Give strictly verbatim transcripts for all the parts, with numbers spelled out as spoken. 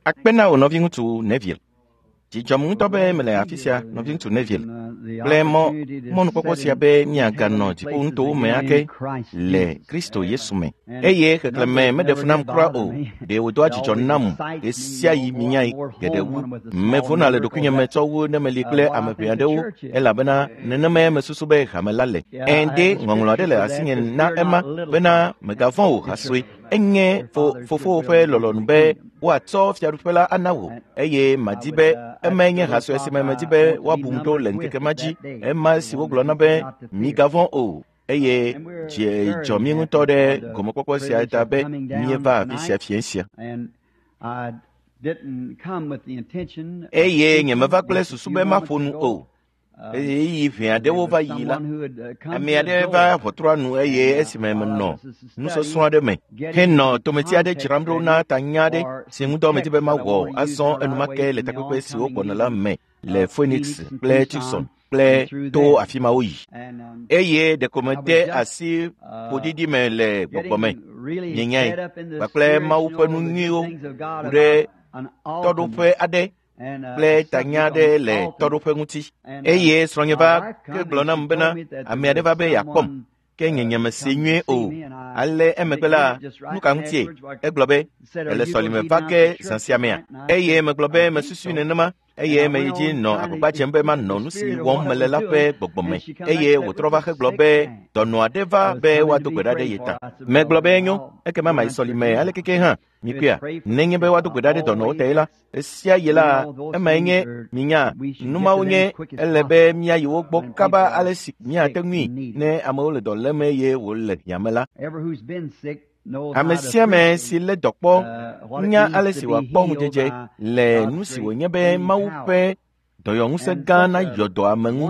Akpe na wò nɔviŋutsu Neville. Dzi dzɔm ŋutɔ be mele afi sia, nɔviŋutsu Neville, kple mɔ mɔnukpɔkpɔ sia be míaganɔ dziƒonutowo me ake le Kristo Yesu me. Eye xexlẽme meɖe fu nam kura o. Ɖe wòdoa dzidzɔ nam ɣe sia ɣi minyae geɖe wu. Mevona le ɖokuinye me tsɔ wu ne meli kple ame ʋɛ aɖewo elabena nenemae mesusu be hame la le. Ɛ̃ ɖe ŋɔŋlɔ aɖe le asinye na ema bena mègavɔ̃ o hasue. Enye fo fofowò ƒe lɔlɔ̃nu be woatsɔ fiaɖuƒe la ana wò eye madi be emae nye ha sue si me medi be woabum ɖo le ŋkeke ma dzi ema si wogblɔna be migavɔ̃ o eye dzi dzɔ mí ŋutɔ ɖe gɔmekpɔkpɔ sia ta be míeva afi sia fiẽ sia. Eye nyemeva kple susu be maƒo nu o. Ɣeyiɣi ʋɛ aɖewo va yi la, ame aɖe va ʋɔtrua nu eye esime menɔ nusɔsrɔ̃ aɖe me henɔ tometi aɖe dzram ɖo na tanya aɖe si ŋudɔ medi be mawɔ azɔ enumake le takpekpe siwo gbɔna la me le Phoenix kple Tucson kple to afi ma woyi. Eye ɖeko mede asi ƒoɖiɖi me le gbɔgbɔ me, mienyae, kpakple Mawu ƒe nu nyuiwo ku ɖe tɔɖoƒe aɖe kple tanya aɖe le tɔɖoƒe ŋuti. Eye srɔ̃nye va ke gblɔ nam bena ame aɖe va be yeakpɔm, ke nye nyemese nyuie o. Ale emegbe la, nu ka ŋutie? Egblɔ be, ele sɔlime va ke zã sia mea? Eye megblɔ be mesusui nenema eye meyi dzi nɔ agbagba dzem be manɔ nu si wɔm mele la ƒe gbɔgbɔ me. Eye wòtrɔ va hegblɔ be dɔnɔ aɖe va be woado gbe ɖa ɖe ye ta. Megblɔ be enyo, ekema mayi sɔlime alekeke hã. Mikpɔea, nenye be woado gbe ɖa ɖe dɔnɔwo ta la, esia yi la, emae nye minya nu mawo nye ele be míayi wo gbɔ kaba ale si míate ŋui ne amewo le dɔ lém eye wole hiãme la. Ame sia ame si lé dɔ kpɔ nya ale si wòakpɔ ŋudzedze le nu si wònye be Mawu ƒe dɔyɔŋusẽ gã nayɔ dɔ ame ŋu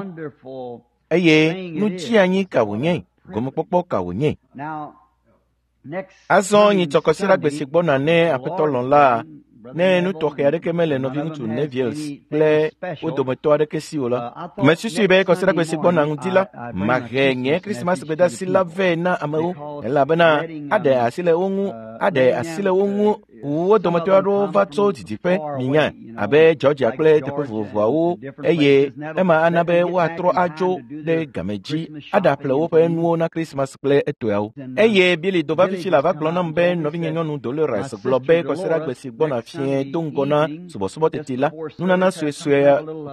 eye nu dzianyi ka wònye, gɔmekpɔkpɔ ka wònye. Azɔ nyitsɔ kɔsiɖagbe si gbɔna ne Aƒetɔ lɔ̃ la, ne nu tɔxɛ aɖeke mele nɔviŋutsu Neville kple wo dometɔ aɖeke si o la, mesusui be kɔsiɖagbe si gbɔna ŋdi la, mahe nye Krismas gbedasi la vɛ na amewo elabena aɖe asi le wo ŋu aɖe asi le wo ŋu wo dometɔ aɖewo va tso didiƒe minya abe Georgia kple teƒe vovovoawo eye ema ana be woatrɔ adzo ɖe game dzi aɖaƒle woƒe nuwo na Krismas kple etɔeawo. Eye Billy do va fifi la va gblɔ nam be nɔvinye nyɔnu Dolores gblɔ be kɔsiɖagbe si gbɔna fiẽ do ŋgɔ na subɔsubɔ teti la, nunana suesue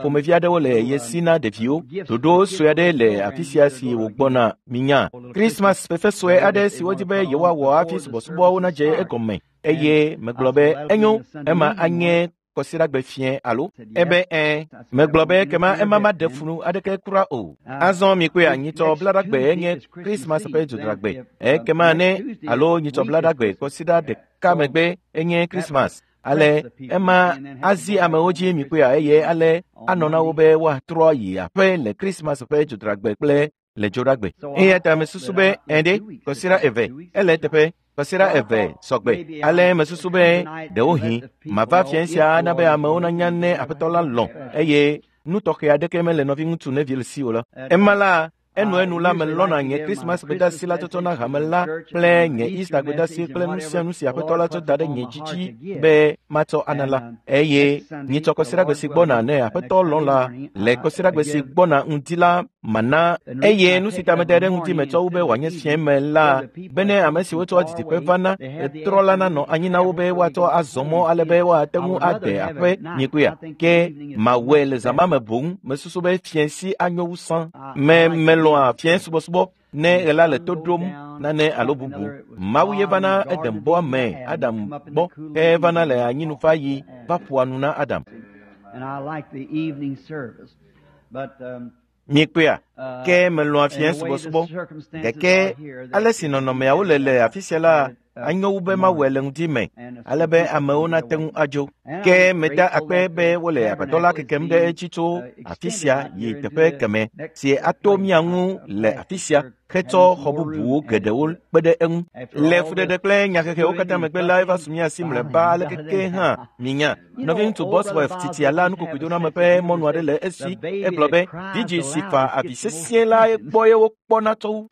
ƒomevi aɖewo le ye si na ɖeviwo. Ɖoɖo sue aɖe le afi sia si wògbɔna minya. Krismas fefe sue aɖe si wodi be yewoawɔ hafi subɔsubɔawo nadze egɔme. Eye megblɔ be enyo, ema anye kɔsiɖagbe fiẽ alo? Ebe ɛ̃. Megblɔ be kema ema maɖe fu aɖeke kura o. Azɔ mikpɔe nyitsɔ blaɖagbe enye Krismas ƒe dzodragbe. Ekema ne alo nyitsɔ blaɖagbe kɔsiɖa ɖeka megbe enye Krismas. Ale ema azi amewo dzi mikpɔea eye ale anɔ na wo be woatrɔ yi aƒe le Krismas ƒe dzodragbe kple le dzoɖagbe. Eya ta mesusu be ɛ̃ ɖe kɔsiɖa eve ele eteƒe. Kɔsiɖa eve sɔgbe. Ale mesusu be ɖewohĩ mava fiẽ sia ana be amewo nanya ne Aƒetɔ la lɔ̃ eye nu tɔxɛ aɖeke mele nɔviŋutsu Neville si o la. Ema la, enuenu la melɔ̃na nye Krismas gbedasi la tsɔtsɔ na hame la kple nye Easter gbedasi kple nu sia nu si Aƒetɔ la tsɔ da ɖe nye dzi dzi be matsɔ ana la. Eye nyitsɔ kɔsiɖagbe si gbɔna ne Aƒetɔ lɔ̃ la, le kɔsiɖagbe si gbɔna ŋdi la mana eye nu si ta mede ɖe ŋdi me tsɔ wu be wòanye fiẽ me la bene ame siwo tsɔ didiƒe vana etrɔ la nanɔ anyi na wo be woatsɔ azɔ mɔ ale be woate ŋu ade aƒe nyikpea. Ke mawɔe le zã ma me boŋ mesusu be fiẽ si anyo wu sã. Me melɔ̃a fiẽ subɔsubɔ ne ɣe la le to ɖom nane alo bubu. Mawu ye vana Eden bɔa me Adam gbɔ ke evana le anyinufaɣi va ƒoa nu na Adam. Mikpɔea, ke melɔ̃a fiẽ subɔsubɔ. Gake ale si nɔnɔmeawo le le afi sia la, anyo wu be mawɔe le ŋdi me ale be amewo nate ŋu adzo. Ke meda akpe be wole agbadɔ la kekem ɖe edzi tso afi sia yi teƒe keme si ato mía ŋu le afi sia hetsɔ xɔ bubuwo geɖewo kpe ɖe eŋu. Le fuɖeɖe kple nyahehewo katã megbe la, eva su mía si mlɔeba alekeke hã minya. Nɔviŋutsu Bosworth titia la nukokoedoname ƒe mɔnu aɖe le esi. Egblɔ be vidzĩ si fa avi sesĩe la gbɔ ye wokpɔna tsɔ wu.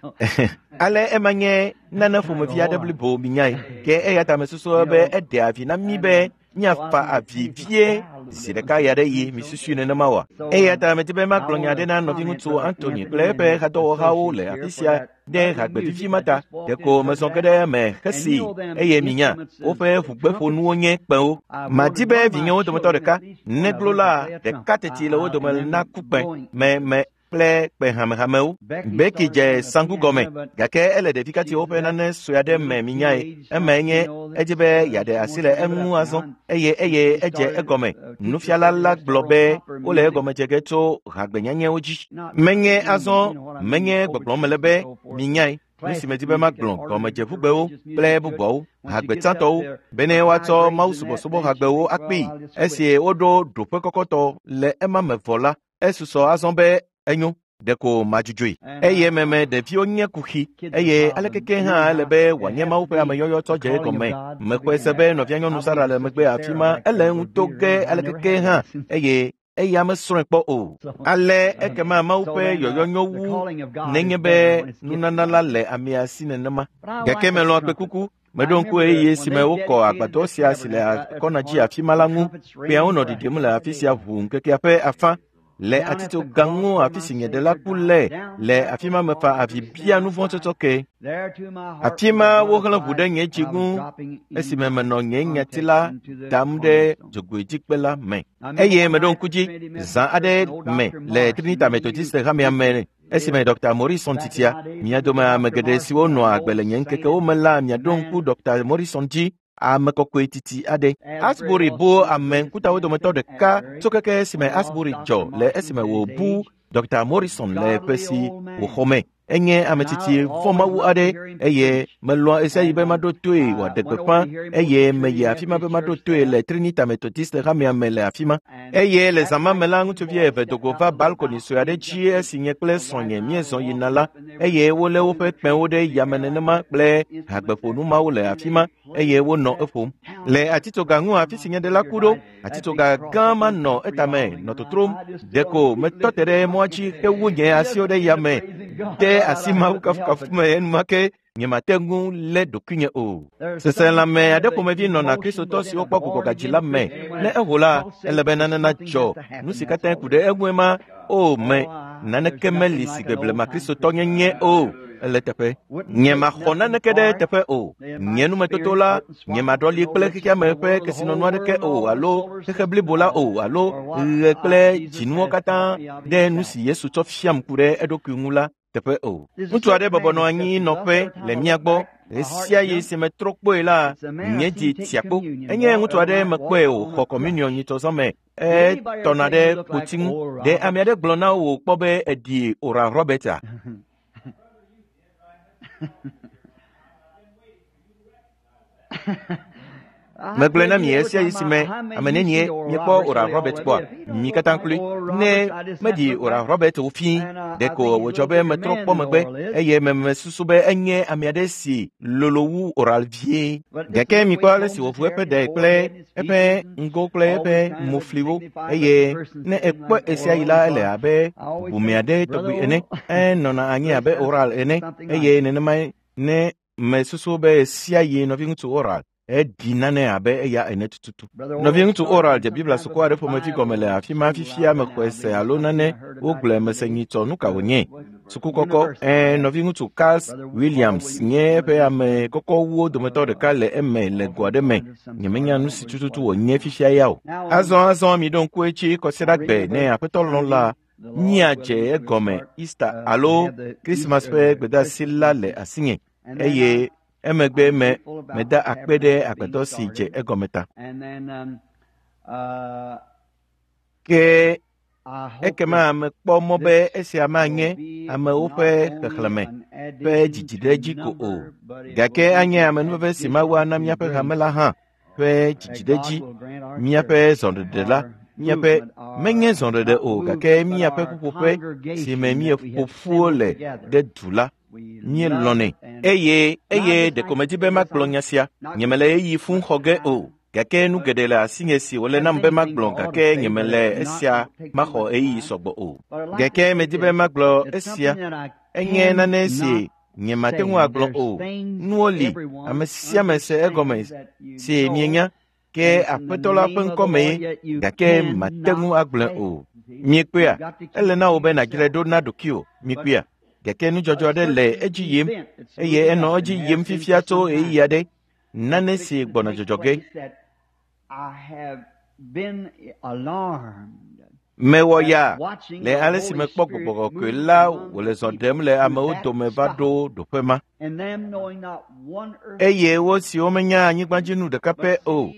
Ale ema nye nane ƒomevi aɖe blibo minyae. Ke eya ta mesusu be eɖea vi na mí be Míafa avi vie zi ɖeka ya ɖe yi misusui nenema oa? Eya ta medi be magblɔ nya aɖe na nɔviŋutsu Anthony kple eƒe hadɔwɔhawo le afi sia ɖe hagbe vivi ma ta. Ɖeko mezɔ ge ɖe eme hesii eye minya woƒe ʋugbeƒonuwo nye kpẽwo. Madi be vinyewo dometɔ ɖeka neglo la ɖeka teti le wo dome naku kpẽ me me kple kpe hamehamewo. Becky dze saŋku gɔme gake ele ɖevi katiwo ƒe nane sue aɖe me minyae. Emae nye edzi be yeaɖe asi le eŋu azɔ eye eye edze egɔme. Nufiala la gblɔ be wole egɔme dze ge tso hagbenyanyewo dzi. Menye azɔ menye gbɔgblɔm mele be minyae. Nu si medi be magblɔ gɔmedzeʋugbewo kple bubuawo, hagbetsãtɔwo, bene woatsɔ mawusubɔsubɔ hagbewo akpee. Esi woɖo ɖoƒe kɔkɔtɔ le ema me vɔ la, esusɔ azɔ be enyo ɖeko madzudzɔe. Eye meme ɖeviwo nye kuxi eye alekeke hã ele be wòanye Mawu ƒe ameyɔyɔ tsɔ dze egɔme. Mexɔe se be nɔvianyɔnu Sara le megbe afi ma ele eŋu to ge alekeke hã eye eya mesrɔ̃e kpɔ o. Ale ekema Mawu ƒe yɔyɔ nyo wu nenye be nunana la le amea si nenema. Gake melɔ̃ kpẽkuku. Meɖo ŋku ɣeyiɣi si me wokɔ agbadɔ sia si le akɔna dzi afi ma la ŋu. Kpẽawo nɔ ɖiɖim le afi sia ʋuu ŋkekea ƒe afã. Le atitsoga ŋu afi si nye ɖela ku le le afi ma mefa avi bia nu vɔ̃ tsɔtsɔ ke. Afi ma woxlẽ ʋu ɖe nye dzi ŋu esime menɔ nye nyati la dam ɖe dzogoedzikpe la me. Eye meɖo ŋku dzi zã aɖe me le Trinita Methodist hamea me esime Doctor Morrison titia. Mia dome ame geɖe siwo nɔa agbe le nye ŋkekewo me la miaɖo ŋku Doctor Morrison dzi. Ame kɔkɔe titi aɖe. Asbury bu ame ŋkutawo dometɔ ɖeka tso keke esime Asbury dzɔ le esime wòbu Doctor Morrison le ƒe si wòxɔ me. Enye ame tsitsi vɔ̃mawu aɖe eye melɔ̃a ɣesiaɣi be maɖo toe wòaɖe gbeƒã eye meyi afi ma be maɖo toe le Trinita Methodist hamea me le afi ma. Eye le zã ma me la ŋutsuvi eve do go va balkoni sue aɖe dzi esi nye kple srɔ̃nye míezɔ yina la eye wolé woƒe kpẽwo ɖe yame nenema kple hagbeƒonu mawo le afi ma eye wonɔ eƒom. Le atitsoga ŋu afi si nye ɖela ku ɖo, atitsoga gã ma nɔ etame nɔ totrom. Ɖeko metɔ te ɖe mɔa dzi hewu nye asiwo ɖe yame de asi Mawu kafukafu me enumake nyemate ŋu lé ɖokuinye o. Seselãme aɖe ƒomevi nɔna Kristotɔ siwo kpɔ gbugbɔgadzi la me. Ne eho la, ele be nane nadzɔ. Nu si katã ku ɖe eŋue ma o me naneke meli si gbe blema Kristotɔ nyenye o. Ele teƒe. Nyemaxɔ naneke ɖe teƒe o. Nye numetoto la, nyemaɖɔli kple xexeame ƒe kesinɔnu aɖeke o alo xexe blibo la o alo ɣe kple dzinuwo katã ɖe nu si Yesu tsɔ fiam ku ɖe eɖokui ŋu la teƒe o. Ŋutsu aɖe bɔbɔ nɔ anyi nɔƒe le mía gbɔ. Ɣesiaɣi si metrɔ kpɔe la, nye dzi tia kpo. Enye ŋutsu aɖe mekpɔe wòxɔ kɔmunion nyitsɔzɔ me. Etɔna ɖe kpoti ŋu. Ɖe ame aɖe gblɔ na wò kpɔ be eɖi Oral Roberts? Megblɔe na mi ɣesiaɣi si me ame nenie miekpɔ Oral Roberts kpɔa? Mi katã kloe. Ne meɖi Oral Roberts o fii, ɖeko wòdzɔ be metrɔ kpɔ megbe eye memesusu be enye ame aɖe si lolo wu Oral vie. Gake mikpɔ ale si wòʋu eƒe ɖe kple eƒe ŋgo kple eƒe mofliwo eye ne ekpɔe ɣesiaɣi la ele abe ʋume aɖe tɔgbi ene. Enɔna anyi abe Oral ene eye nenemae ne mesusu be ɣesiaɣi nɔviŋutsu Oral eɖi nane abe eya ene tututu. Nɔviŋutsu Oral dze Biblia suku aɖe ƒomevi gɔme le afi ma fifia mexɔe se alo nane wogblɔe mese nyitsɔ nu ka wònye. Suku kɔkɔ ɛɛ nɔviŋutsu Carl Williams nye eƒe ame kɔkɔwuwo dometɔ ɖeka le eme le go aɖe me. Nyemenya nu si tututu wònye fifia ya o. Azɔ azɔ miɖo ŋku edzi kɔsiɖagbe ne Aƒetɔ lɔ̃ la míadze egɔme Easter alo Christmas ƒe gbedeasi la le asinye eye emegbe me meda akpe ɖe agbadɔ si dze egɔme ta. Ke ekema mekpɔ mɔ be esia manye amewo ƒe xexlẽme ƒe dzidziɖedzi ko o, gake anye amenuveve si Mawu ana míaƒe hame la hã ƒe dzidziɖedzi, míaƒe zɔɖeɖe la, míaƒe menye zɔɖeɖe o, gake míaƒe ƒuƒoƒe si me míeƒo ƒuwo le ɖe du la. Míelɔ̃nɛ eye eye ɖeko medzi be magblɔ nya sia. Nyemele ɣeyiɣi fũu xɔ ge o. Gake nu geɖe le asinye si wòle nam be magblɔ gake nyemele esia maxɔ ɣeyiɣi sɔgbɔ o. Gake medi be magblɔ esia. Enye nane si nyemate ŋu agblɔ o. Nuwo li ame sia ame se egɔme si mienya Ke Aƒetɔ la ƒe ŋkɔme ye, gake mate ŋu agblɔe o. Miekpɔea? Ele na wò be nàdzrae ɖo na ɖokuiwò. Miekpɔea? Gake nudzɔdzɔ aɖe le edzi yim eye enɔ edzi yim fifia tso ɣeyiɣi aɖe. Nane si gbɔna dzɔdzɔ ge. Mewɔ ya le ale si mekpɔ Gbɔgbɔ Kɔkɔe la wòle zɔ ɖem le amewo dome va ɖo ɖoƒe ma. Eye wo siwo menya anyigbadzinu ɖeka pɛ o.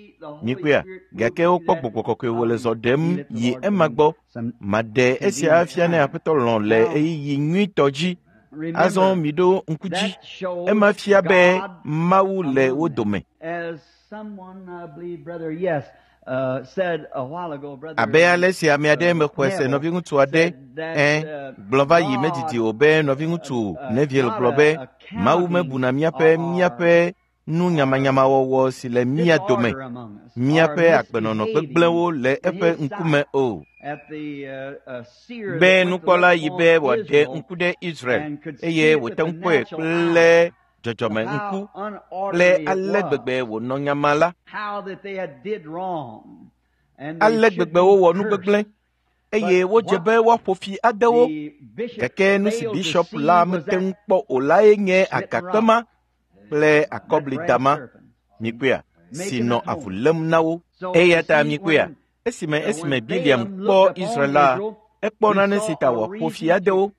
Mikpɔea? Gake wokpɔ Gbɔgbɔ Kɔkɔe wòle zɔ ɖem yi ema gbɔ. Maɖe esia afia ne Aƒetɔ lɔ̃ le ɣeyiɣi nyuitɔ dzi. Azɔ miɖo ŋku dzi. Ema fia be Mawu le wo dome. Abe ale si ame aɖe mexɔe se nɔviŋutsu aɖe ẽ gblɔ va yi medidi o be nɔviŋutsu Neville gblɔ be Mawu mebuna míaƒe míaƒe nu nyamanyamawɔwɔ si le mía dome, míaƒe agbenɔnɔ gbegblẽwo le eƒe ŋkume o. Be nukpɔla yi be wòaɖe ŋku ɖe Israel eye wòte ŋu kpɔe kple dzɔdzɔme ŋku kple ale gbegbe wònɔ nyama la. Ale gbegbe wowɔ nu gbegblẽ eye wodze be woaƒo fi ade wo. Gake nu si bishɔp la mete ŋu kpɔ o lae nye agakpe ma kple akɔblidama, mikpɔea, si nɔ avu lém na wo. Eya ta mikpɔea, esime esime Biliam kpɔ Israel la, ekpɔ nane si ta wòaƒo fi ade wo.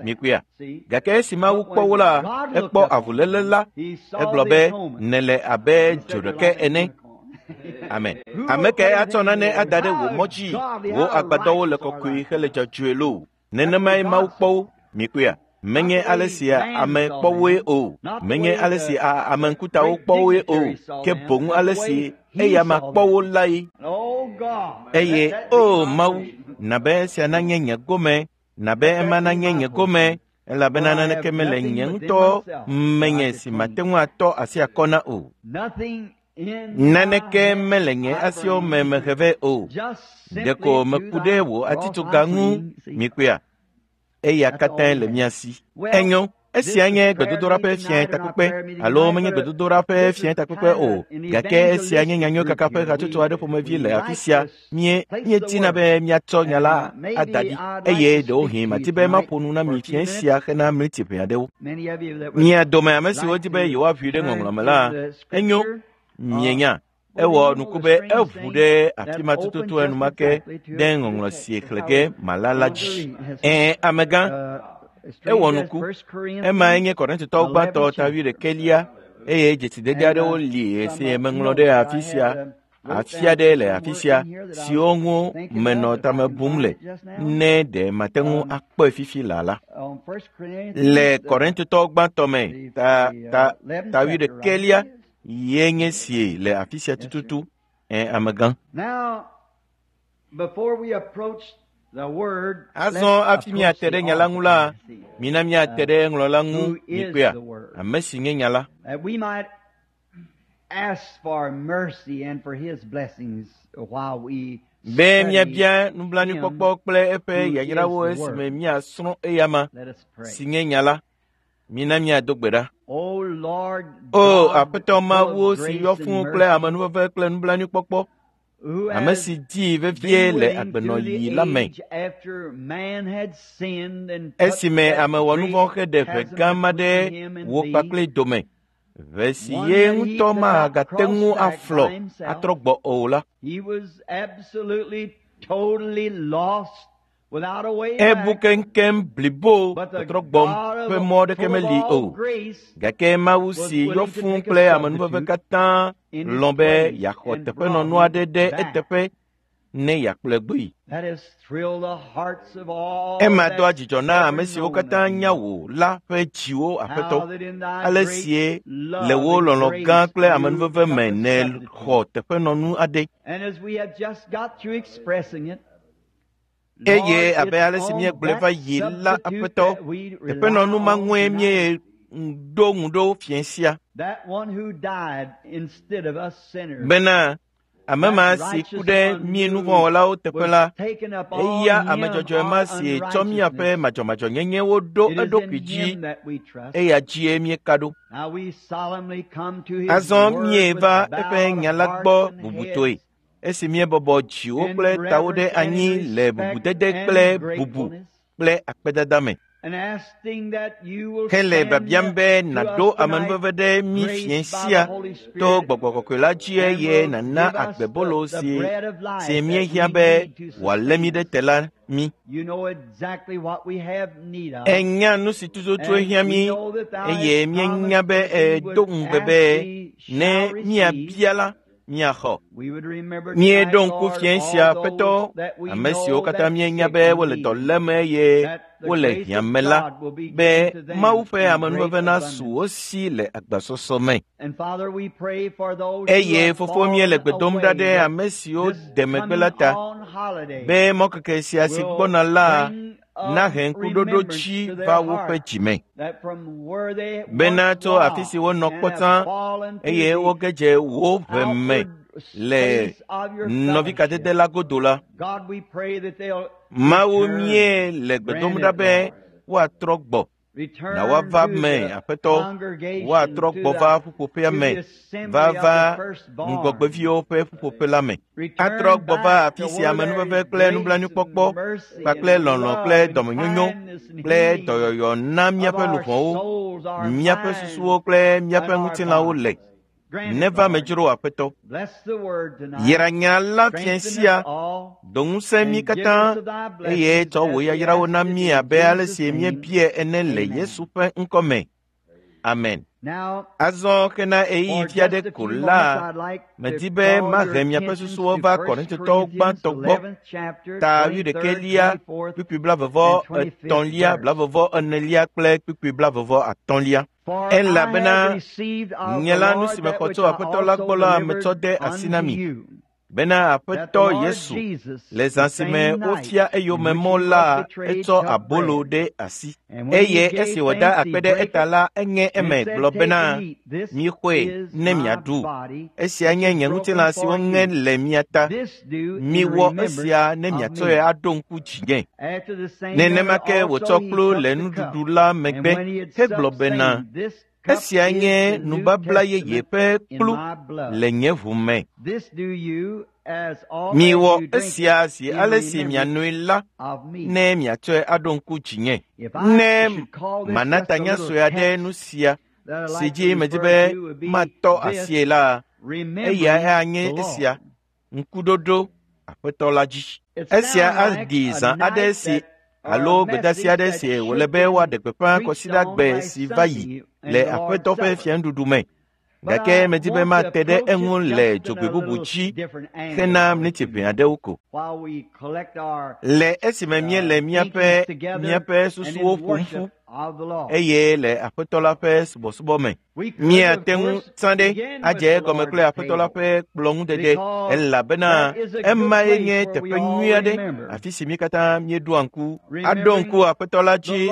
Mikpɔea, gake esi Mawu kpɔ wo la, ekpɔ avuléle la. Egblɔ be nèle abe dzoɖeke ene. Amen. Ame kae atsɔ nane ada ɖe wò mɔ dzi? Wò agbadɔwo le kɔkɔe hele dzɔdzɔe loo. Nenemae Mawu kpɔ wo. Mikpɔea, menye ale si ame kpɔ woe o, menye ale si ame ŋkutawo kpɔ woe o, ke boŋ ale si eyama kpɔ wo lae. Eye o Mawu, na be esia nanye nye gome, na be ema nanye nye gome, elabena naneke mele nye ŋutɔ menye si mate ŋu atɔ asi akɔ na o. Naneke mele nye asiwo me mehe vɛ o. Ɖeko meku ɖe wò atitsoga ŋu. Mikpɔea? Eya katãe le mía si. Enyo, esia nye gbedodoɖa ƒe fiẽ takpekpe alo menye gbedodoɖa ƒe fiẽ takpekpe o, gake esia nye nyanyuiekaka ƒe hatsotso aɖe ƒomevi le afi sia. Mie míetina be míatsɔ nya la ada ɖi eye ɖewohĩ mati be maƒo nu na mi fiẽ sia hena mliti ʋɛ aɖewo. Mia dome ame siwo di be yewoaʋui ɖe ŋɔŋlɔ me la, enyo, mienya. Ewɔ nuku be eʋu ɖe afi ma tututu enumake ɖe ŋɔŋlɔ si xlẽ ge mala la dzi. Ɛ̃, amegã, ewɔ nuku. Emae nye Korintotɔwo gbãtɔ ta wuiɖekɛlia eye dzesidede aɖewo li si meŋlɔ ɖe afi sia, afi aɖe le afi sia siwo ŋu menɔ tame bum le ne ɖe mate ŋu akpɔe fifi laa la. Le Korintotɔwo gbãtɔ me ta ta ta wuiɖekɛlia ye nye sie le afi sia tututu. Ẽ, amegã. Azɔ hafi míate ɖe nya la ŋu la, mina míate ɖe ŋlɔla ŋu. Mikpɔea? Ame si nye nya la. Be míabia nublanuikpɔkpɔ kple eƒe yayrawo esime míasrɔ̃ eyama si nye nya la. Mina míado gbe ɖa. O Aƒetɔ Mawu si yɔ fũu kple amenuveve kple nublanuikpɔkpɔ, ame si dii vevie le agbenɔɣi la me. Esime ame wɔ nu vɔ̃ heɖe ʋe gã ma ɖe wò kpakple dome, ʋe si ye ŋutɔ magate ŋu aflɔ atrɔ gbɔ o la, ebu keŋkeŋ blibo tɔtrɔ gbɔm ƒe mɔ aɖeke meli o. Gake Mawu si yɔ fũu kple amenuveve katã lɔ̃ be yeaxɔ teƒenɔnu aɖe ɖe eteƒe ne yeakplɔe gbɔe. Ema doa dzidzɔ na ame siwo katã nya wò la ƒe dziwo, Aƒetɔ, ale sie le wò lɔlɔ̃ gã kple amenuveve me nèxɔ teƒenɔnu aɖe. Eye abe ale si míegblɔe va yi la, Aƒetɔ, teƒenɔnu ma ŋue míeɖo ŋu ɖo fiẽ sia. Bena Ame ma si ku ɖe mí nuvɔ̃wɔlawo teƒe la, eya ame dzɔdzɔe ma si tsɔ míaƒe madzɔmadzɔnyenyewo ɖo eɖokui dzi, eya dzie míeka ɖo. Azɔ míeva eƒe nya la gbɔ bubutɔe, esi míebɔbɔ dziwo kple tawo ɖe anyi le bubudede kple bubu kple akpedada me. Hele biabiam be nàɖo amenuveve ɖe mí fiẽ sia to Gbɔgbɔ Kɔkɔe la dzi eye nàna agbebolo si si míehiã be wòalé mí ɖe te la mí. Ènya nu si tututu hiã mí eye míenya be èdo ŋugbe be ne míabia la, míaxɔ. Míeɖo ŋku fiẽ sia Aƒetɔ, ame siwo katã míenya be wole dɔ lém eye wole hiã me la, be Mawu ƒe amenuveve nasu wo si le agbasɔsɔ me. Eye Fofo míele gbe dom ɖa ɖe ame siwo de megbe la ta, be mɔkeke sia si gbɔna la nahe ŋkuɖoɖo dzi va woƒe dzime. Bena tso afi si wonɔ kpɔ tsã eye woge dze wò ʋe me le nɔvikadede la godo la, Mawu mie le gbe dom ɖa be woatrɔ gbɔ na woava me Aƒetɔ, woatrɔ gbɔ va ƒuƒoƒea me, va va ŋgɔgbeviwo ƒe ƒuƒoƒe la me. Atrɔ gbɔ va afi si amenuveve kple nublanuikpɔkpɔ kpakple lɔlɔ̃ kple dɔmenyonyo kple dɔyɔyɔ na míaƒe luʋɔwo, míaƒe susuwo kple míaƒe ŋutilãwo le. Neva me dzro Aƒetɔ. Yra nya la fiẽ sia, do ŋusẽ mí katã eye tsɔ wò yayrawo na mí abe ale si míebia ene le Yesu ƒe ŋkɔ me. Amen. Azɔ hena ɣeyiɣi vi aɖe ko la, medi be mahe miaƒe susuwo va Korintotɔwo gbãtɔ gbɔ, ta wuiɖekɛlia, kpukpui blaeve-vɔ etɔ̃lia, blaeve-vɔ enelia kple kpukpui blaeve-vɔ atɔ̃lia. Elabena nye la nu si mexɔ tso Aƒetɔ la gbɔ la metsɔ de asi na mi, bena Aƒetɔ Yesu le zã si me wofia eyome mɔ la etsɔ abolo ɖe asi eye esi wòda akpe ɖe eta la eŋe eme gblɔ bena, mixɔe ne miaɖu. Esia nye nye ŋutilã si woŋe le mia ta. Miwɔ esia ne miatsɔe aɖo ŋku dzinye. Nenema ke wòtsɔ kplu le nuɖuɖu la megbe hegblɔ bena, esia nye nubabla yeye ƒe kplu le nye ʋu me. Miwɔ esia zi ale si mianoe la ne miatsɔe aɖo ŋku dzinye. Ne mana tanya sue aɖe nu sia si dzi medi be matɔ asie la, eyae anye esia, ŋkuɖoɖo Aƒetɔ la dzi. Esia aɖi zã aɖe si alo gbedeasi aɖe si wòle be woaɖe gbeƒã kɔsiɖagbe si va yi le Aƒetɔ ƒe fianuɖuɖu me. Gake medi be mate ɖe eŋu le dzogbe bubu dzi hena miniti ʋɛ aɖewo ko. Le esime míele míaƒe míaƒe susuwo ƒom ƒu eye le Aƒetɔ la ƒe subɔsubɔ me, míate ŋu tsã ɖe adze egɔme kple Aƒetɔ la ƒe kplɔ̃ŋudede elabena emae nye teƒe nyui aɖe afi si mí katã míeɖoa ŋku aɖo ŋku Aƒetɔ la dzi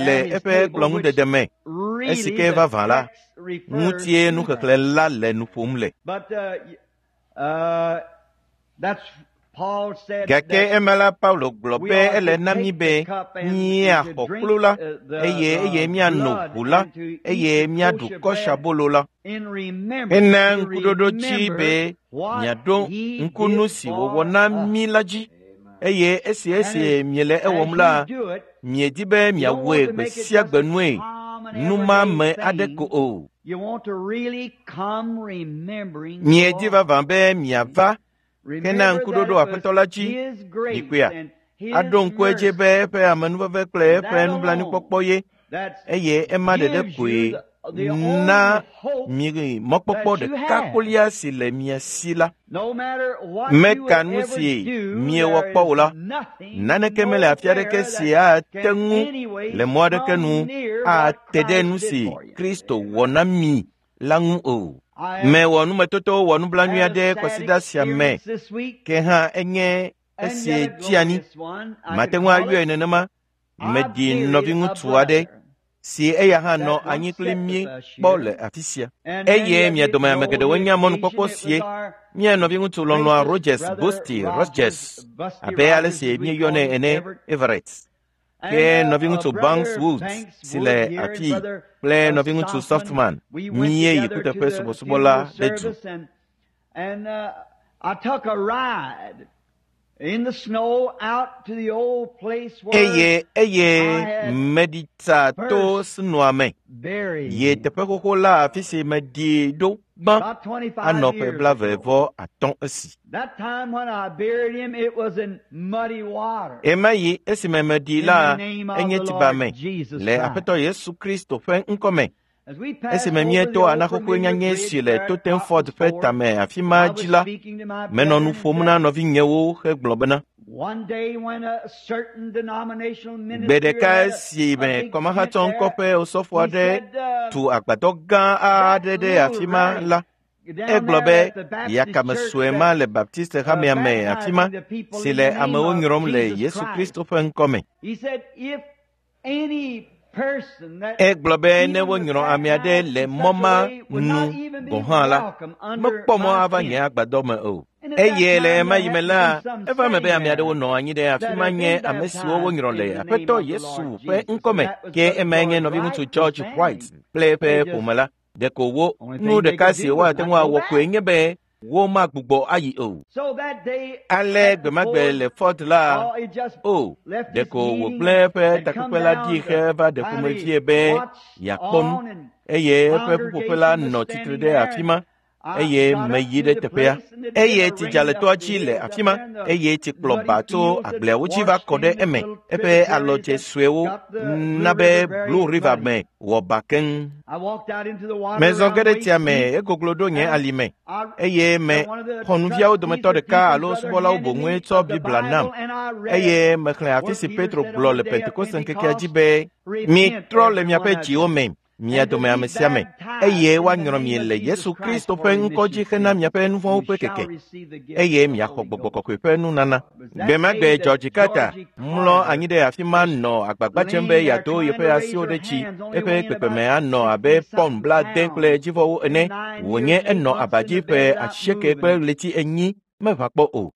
le eƒe kplɔ̃ŋudede me. Esi ke vavã la, ŋutie nuxexlẽ la le nu ƒom le. Gake ema la Paulo gblɔ be ele na mí be míaxɔ kplu la eye eye míano ʋu la eye míaɖu kɔsabolo la. Hena ŋkuɖoɖo dzi be miaɖo ŋku nu si wòwɔ na mí la dzi eye esi esi miele ewɔm la, miedi be miawɔe gbe sia gbe nue numame aɖe ko o. Miedi vavã be miava hena ŋkuɖoɖo Aƒetɔ la dzi mikpɔea, aɖo ŋku edzi be eƒe amenuveve kple eƒe nublanuikpɔkpɔ ye eye ema ɖeɖe koe na mi mɔkpɔkpɔ ɖeka kolia si le mia si la. Meka nu si miewɔ kpɔ o la, naneke mele afi aɖeke si ate ŋu le mɔ aɖeke nu ate ɖe nu si Kristo wɔ na mi la ŋu o. Mewɔ numetoto wɔ nublanui aɖe kɔsiɖa sia me, ke hã enye esi dzi anyi. Mate ŋu ayɔe nenema. Meɖi nɔviŋutsu aɖe. si eya hã nɔ anyi kpli mí kpɔ le afi sia. Eye mia dome ame geɖewo nya mɔnukpɔkpɔ sie mía nɔviŋutsu lɔlɔ̃a Rogers Busty Rogers abe ale si míeyɔnɛ ene Everett. Ke nɔviŋutsu Banks Woods si le afii kple nɔviŋutsu Softman míeyi kuteƒe subɔsubɔ la ɖe du. Eye eye meɖi tsa to sinua me yi teƒe xoxo la afi si meɖi ɖo gbã anɔ ƒe blaeve vɔ atɔ̃ esi. Ɣemaɣi esime meɖi la enye tsiba me le Aƒetɔ Yesu Kristo ƒe ŋkɔme. Esime míeto anaxoxoe nyanyɛ si le Totenford ƒe tame afi ma dzi la, menɔ nu ƒom na nɔvinyewo hegblɔ bena, gbe ɖeka esime kɔmahatsɔŋkɔ ƒe osɔfo aɖe tu agbadɔ gã aɖe ɖe afi ma la, egblɔ be yakame sue ma le Baptiste hamea me afi ma si le amewo nyrɔm le Yesu Kristo ƒe ŋkɔme. Egblɔ be ne wonyrɔ ame aɖe le mɔ ma nu gɔ̃ hã la, mekpɔ mɔ ava nye agbadɔ me o. Eye le ɣemaɣi me la, eva eme be ame aɖewo nɔ anyi ɖe afi ma nye ame siwo wonyrɔ le Aƒetɔ Yesu ƒe ŋkɔme, ke emae nye nɔviŋutsu George White kple eƒe ƒome la. Ɖeko wo nu ɖeka si woate ŋu awɔ koe nye be womagbugbɔ ayi o. Ale gbemagbe le Ford la, o, ɖeko wògblẽ eƒe takpekpe la ɖi heva ɖe ƒomevie be yeakpɔ nu, eye eƒe ƒuƒoƒe la nɔ tsitre ɖe afi ma, eye meyi ɖe teƒea. Eye tsi dza le toa dzi le afi ma, eye tsi kplɔ ba tso agbleawo dzi va kɔ ɖe eme. Eƒe alɔdze suewo na be Blue River me wɔ ba keŋ. Mezɔ ge ɖe tsia me, egoglo ɖo nye alime, eye me xɔnuviawo dometɔ ɖeka alo subɔlawo boŋue tsɔ Biblia nam, eye mexlẽ afi si Petro gblɔ le Pentekoste ŋkekea dzi be, mitrɔ le miaƒe dziwo me, mia dome ame sia ame, eye woanyrɔ mi le Yesu Kristo ƒe ŋkɔ dzi hena miaƒe nu vɔ̃wo ƒe keke, eye miaxɔ Gbɔgbɔ Kɔkɔe ƒe nunana. Gbe ma gbe George Carter mlɔ anyi ɖe afi ma nɔ agbagba dzem be yeado yeƒe asiwo ɖe dzi, eƒe kpekpeme anɔ abe pɔn blaade kple dzivɔwo ene, wònye enɔ aba dzi ƒe asieke kple ɣleti enyi meʋã kpɔ o.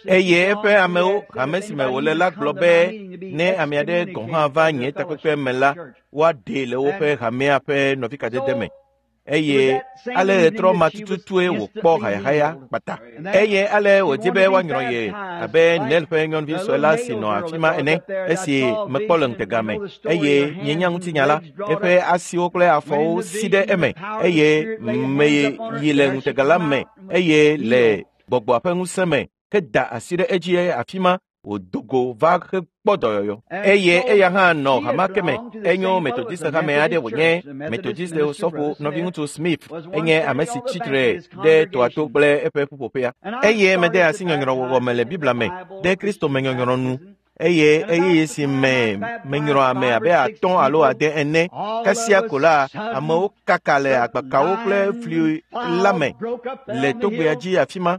Eye eƒe amewo, hame si me wòle la gblɔ be ne ame aɖe gɔ̃ hã va nye takpekpe me la, woaɖee le woƒe hamea ƒe nɔvikadede me. Eye ale ɣetrɔ ma tututue wòkpɔ hayahaya kpata. Eye ale wòdi be woanyrɔ ye abe Nel ƒe nyɔnuvi sue la si nɔ afi ma ene, esi mekpɔ le ŋutega me, eye mienya ŋutinya la, eƒe asiwo kple afɔwo si ɖe eme, eye meyi le ŋutega la me, eye le gbɔgbɔa ƒe ŋusẽ me heda asi ɖe edzi afi ma wòdo go va hekpɔ dɔyɔyɔ. Eye eya hã nɔ hama ke me, enyo Methodiste hame aɖe wònye Methodiste osɔfo nɔviŋutsu Smith enye ame si tsitre ɖe toa to kple eƒe ƒuƒoƒea. Eye mede asi nyɔnyrɔwɔwɔ me le Biblia me ɖe Kristo me nyɔnyrɔ nu. Eye ɣeyiɣi si me menyrɔ ame abe atɔ̃ alo ade ene kasia ko la, amewo kaka le agbakawo kple fli la me le togbea dzi afi ma.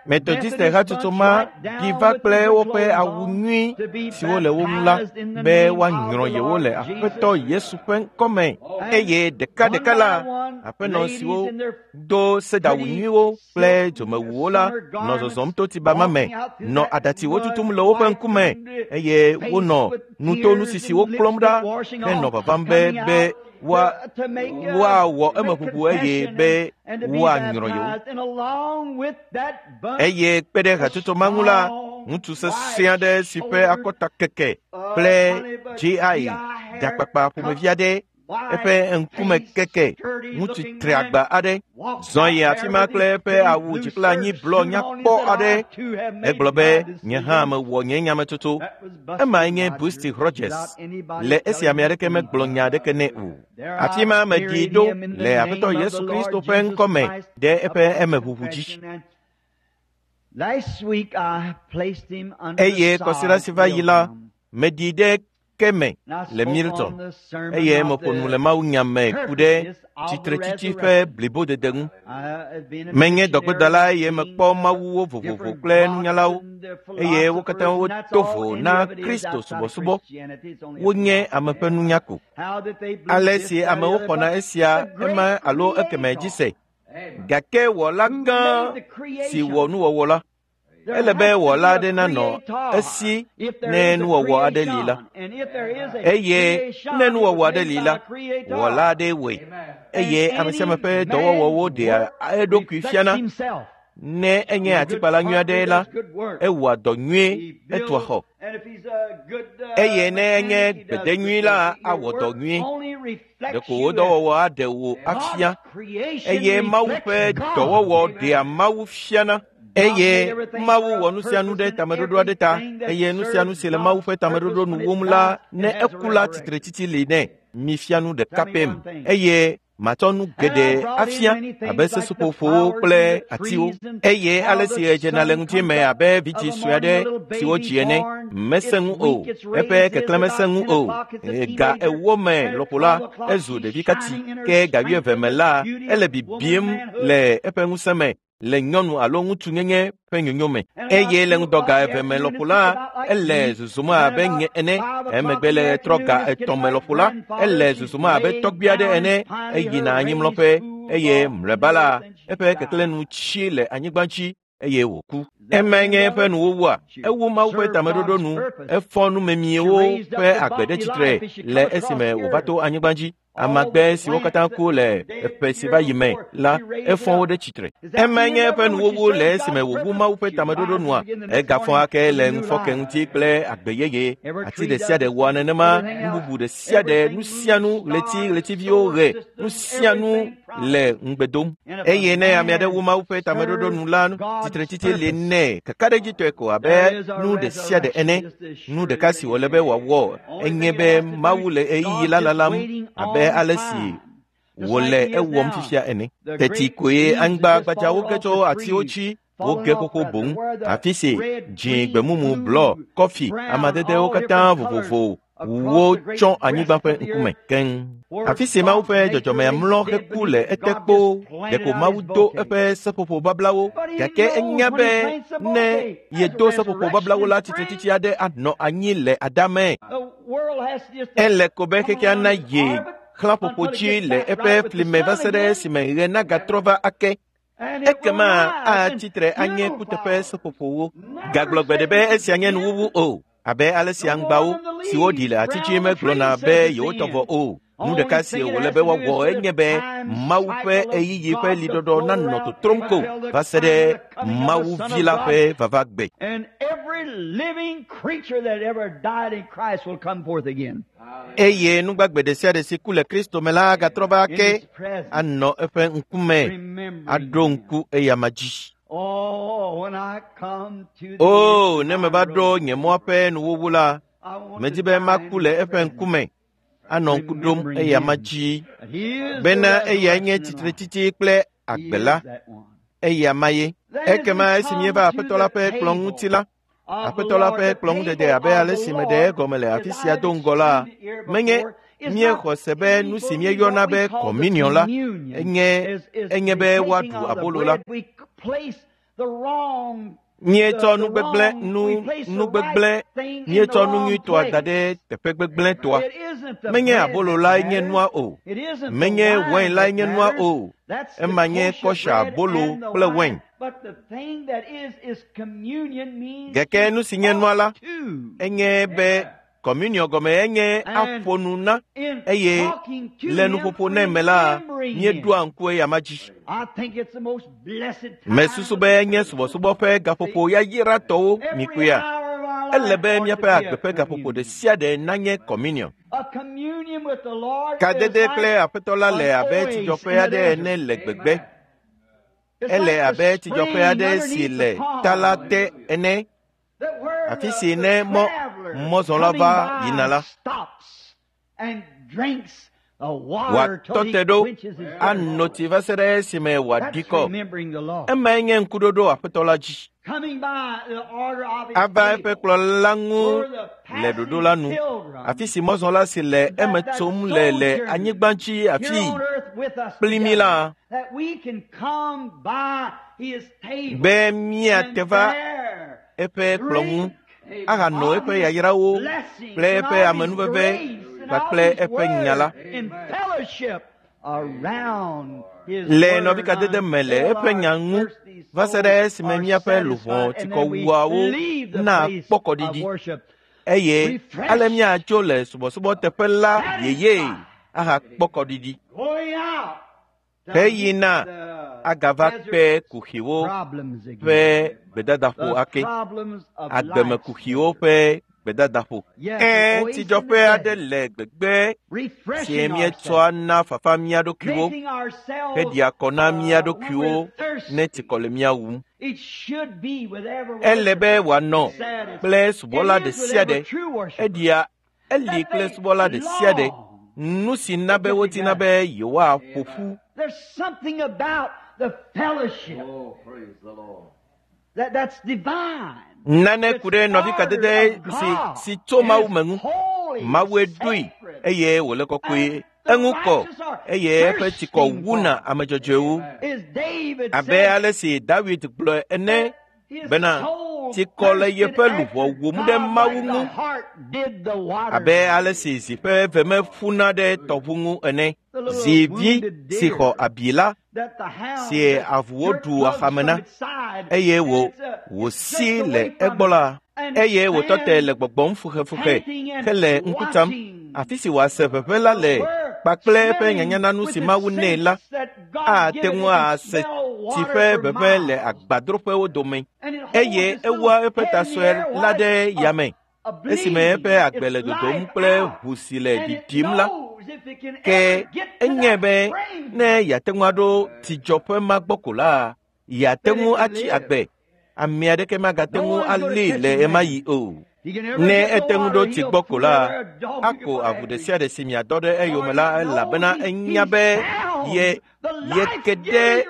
Methodiste hatsotso ma ɖi va kple woƒe awu nyui siwo le wo ŋu la be woanyrɔ yewo le Aƒetɔ Yesu ƒe ŋkɔme. Eye ɖekaɖeka la, aƒenɔ siwo do sedawu nyuiwo kple dzomewuwo la nɔ zɔzɔm to tsiba ma me, nɔ aɖatsiwo tutum le woƒe ŋkume, eye wonɔ nutonusisiwo klɔm ɖa henɔ vavam be be woa woawɔ emeʋuʋu eye be woanyrɔ yewo. Eye kpe ɖe hatsotso ma ŋu la, ŋutsu sesẽ aɖe si ƒe akɔta keke kple G I ɖakpakpa ƒomevi aɖe, eƒe ŋkume keke, ŋutsu triagba aɖe, zɔ yi afi ma kple eƒe awu dzi kple anyi blɔ nyakpɔ aɖe. Egblɔ be, nye hã mewɔ nye nyametsotso. Emae nye Busty Rogers, le esi ame aɖeke megblɔ nya aɖeke nɛ o. Afi ma meɖi ɖo le Aƒetɔ Yesu Kristo ƒe ŋkɔme ɖe eƒe emeʋuʋu dzi. Eye kɔsiɖa si va yi la, meɖi ɖe ke me le Milton eye meƒo nu le mawunya me ku ɖe tsitretsitsi ƒe blibodede ŋu. Menye dɔgbedala eye mekpɔ mawuwo vovovo kple nunyalawo eye wo katã woto vo na Kristo subɔsubɔ. Wonye ame ƒe nunya ko. Ale si amewo xɔna esia ema alo ekeme dzi se. Gake wɔla gã si wɔ nuwɔwɔ la, ele be wɔla aɖe nanɔ esi ne nuwɔwɔ aɖe li la. Eye ne nuwɔwɔ aɖe li la, wɔla aɖe wɔe. Eye ame sia ame ƒe dɔwɔwɔwo ɖea eɖokui fiana. Ne enye atikpala nyui aɖe la, ewɔa dɔ nyuie, etua xɔ. Eye ne enye gbede nyui la, awɔ dɔ nyuie. Ɖeko wò dɔwɔwɔ aɖe wò afia. Eye Mawu ƒe dɔwɔwɔ ɖea Mawu fiana. Eye Mawu wɔ nu sia nu ɖe tameɖoɖo aɖe ta eye nu sia nu si le Mawu ƒe tameɖoɖo nu wom la, ne eku la tsitretsitsi li nɛ. Mifia nu ɖeka pɛ me eye matsɔ nu geɖe afia abe seseƒoƒowo kple atiwo. Eye ale si ɣe le ŋuti me abe vidzĩ sue aɖe si wodzi ene, mesẽ ŋu o, eƒe keklẽ mesẽ ŋu o. Ga ewo me lɔƒo la, ezu ɖevi kati, ke ga wuieve me la, ele bibim le eƒe ŋusẽ me le nyɔnu alo ŋutsunyenye ƒe nyonyo me. Eye le ŋdɔ ga eve me lɔƒo la, ele zozom abe nye ene. Emegbe le trɔ ga etɔ̃ me lɔƒo la, ele zozom abe tɔgbui aɖe ene. Eyina anyimlɔƒe eye mlɔeba la, eƒe keklẽ nu tsi le anyigba dzi eye wòku. Emae nye eƒe nuwuwua. Ewu Mawu ƒe tameɖoɖo nu. Efɔ numemiewo ƒe agbe ɖe tsitre le esime wòva to anyigba dzi. Amagbe siwo katã ku le ƒe si va yi me la, efɔ wo ɖe tsitre. Emae nye eƒe nuwuwu le esime wòwu Mawu ƒe tameɖoɖo nua. Egafɔ ake le ŋufɔke ŋuti kple agbe yeye. Ati ɖe sia ɖe wɔa nenema, nu bubu ɖe sia ɖe, nu sia nu, ɣleti, ɣletiviwo, ɣe, nu sia nu le ŋugbe dom. Eye ne ame aɖe wu Mawu ƒe tameɖoɖo nu la, tsitretsitsi li nɛ kakaɖedzitɔe ko abe nu ɖe sia ɖe ene. Nu ɖeka si wòle be wòawɔ enye be Mawu le ɣeyiɣi la lalam abe ale si wòle ewɔm fifia ene. Teti koe anyigba gbadzawo ge tso atiwo dzi woge xoxo boŋ. Afi si dzĩ, gbemumu, blɔ, kɔfi, amadedewo katã vovovo wo tsɔ anyigba ƒe ŋkume keŋ. Afi si Mawu ƒe dzɔdzɔmea mlɔ heku le ete kpoo, ɖeko Mawu do eƒe seƒoƒo bablawo. Gake enya be ne yedo seƒoƒo bablawo la, tsitretsitsi aɖe anɔ anyi le adame. Ele ko be xexea na ye xlãƒoƒo dzi le eƒe fli me va se ɖe esime ɣe nagatrɔ va ake. Ekema atsitre anye kuteƒe seƒoƒowo. Gagblɔ gbe ɖe be esia nye nuwuwu o. Abe ale si aŋgbawo siwo ɖi le ati dzi megblɔna be yewotɔ vɔ o. Nu ɖeka si wòle be woawɔ enye be Mawu ƒe ɣeyiɣi ƒe liɖɔɖɔ nanɔ totrom ko va se ɖe Mawu vi la ƒe vava gbe. Eye nugbagbe ɖe sia ɖe si ku le Kristo me la agatrɔ va ake anɔ eƒe ŋkume aɖo ŋku eyama dzi. O, ne meva ɖo nye mɔa ƒe nuwuwu la, medi be maku le eƒe ŋkume anɔ ŋku ɖom eyama dzi bena eyae nye tsitretsitsi kple agbe la, eyama ye. Ekema esi míeva Aƒetɔ la ƒe kplɔ̃ ŋuti la, Aƒetɔ la ƒe kplɔ̃ ŋudede abe ale si meɖe egɔme le afi sia do ŋgɔ la, menye míexɔ se be nu si míeyɔna be kɔminiɔn la enye enye be woaɖu abolo la. Míetsɔ nu gbegblẽ nu nu gbegblẽ míetsɔ nu nyuitɔa da ɖe teƒe gbegblẽtɔa. Menye abolo lae nye nua o, menye wain lae nye nua o. Ema nye kɔsha abolo kple wain. Gake nu si nye nua la enye be kɔmuniɔ gɔme enye aƒo nu na eye le nuƒoƒo nɛ me la, míeɖoa ŋku eyama dzi. Mesusu be enye subɔsubɔ ƒe gaƒoƒo yayratɔwo mikpɔea. Ele be míaƒe agbe ƒe gaƒoƒo ɖe sia ɖe nanye kɔmuniɔ. Kadede kple Aƒetɔ la le abe tsidzɔƒe aɖe ene le gbegbe. Ele abe tsidzɔƒe aɖe si le ta la te ene. Afi si ne mɔ mɔzɔla va yina la, Wòatɔ te ɖo ano tsi va se ɖe esime wòaɖi kɔ. Emae nye ŋkuɖoɖo Aƒetɔ la dzi. Ava eƒe kplɔla la ŋu le ɖoɖo la nu, afi si mɔzɔla si le eme tsom le le anyigba dzi afii kpli mí la, be míate va eƒe kplɔ̃ ŋu ahano eƒe yayrawo kple eƒe amenuveve kpakple eƒe nya la. Le nɔvikadede me le eƒe nya ŋu va se ɖe esime míaƒe luʋɔ tsikɔwuawo nakpɔ kɔɖiɖi eye ale míatso le subɔsubɔteƒe la yeye ahakpɔ kɔɖiɖi. Heyina agava kpe kuxiwo ƒe gbedadaƒo ake, agbemekuxiwo ƒe gbedadaƒo. Ẽ, tsidzɔƒe aɖe le gbegbe si míetsɔa na fafa mía ɖokuiwo heɖia kɔ na mía ɖokuiwo ne tsikɔ le mía wum. Ele be wòanɔ kple subɔla ɖe sia ɖe. Eɖia eli kple subɔla ɖe sia ɖe. Nu si na be wodina be yewoaƒo ƒu. Nane ku ɖe nɔvikadede si si tso Mawu me ŋu. Mawue ɖoe eye wòle kɔkɔe. Eŋu kɔ eye eƒe tsikɔ wuna ame dzɔdzɔewo. Abe ale si David gblɔ ene bena tsikɔ le yeƒe luʋɔ wum ɖe Mawu ŋu abe ale si zi ƒe veme ƒuna ɖe tɔʋu ŋu ene. Zivi si xɔ abi la si avuwo ɖu axame na eye wò wòsi le egbɔ la eye wòtɔ te le gbɔgbɔm fuxefuxe hele ŋku tsam afi si wòase ʋeʋẽ la le kpakple eƒe nyanyananu si Mawu nɛ la ate ŋu ase tsi ƒe ʋeʋẽ le agbadroƒewo dome eye ewua eƒe ta sue la ɖe yame esime eƒe agbe le dodom kple ʋu si le ɖiɖim la. Ke enyae be ne yeate ŋu aɖo tsidzɔƒe ma gbɔ ko la, yeate ŋu atsi agbe. Ame aɖeke magate ŋu alée le ɣemaɣi o. Ne ete ŋu ɖo tsi gbɔ ko la, ako avu ɖe sia ɖe si miadɔ ɖe eyome la elabena enya be ye yeke ɖe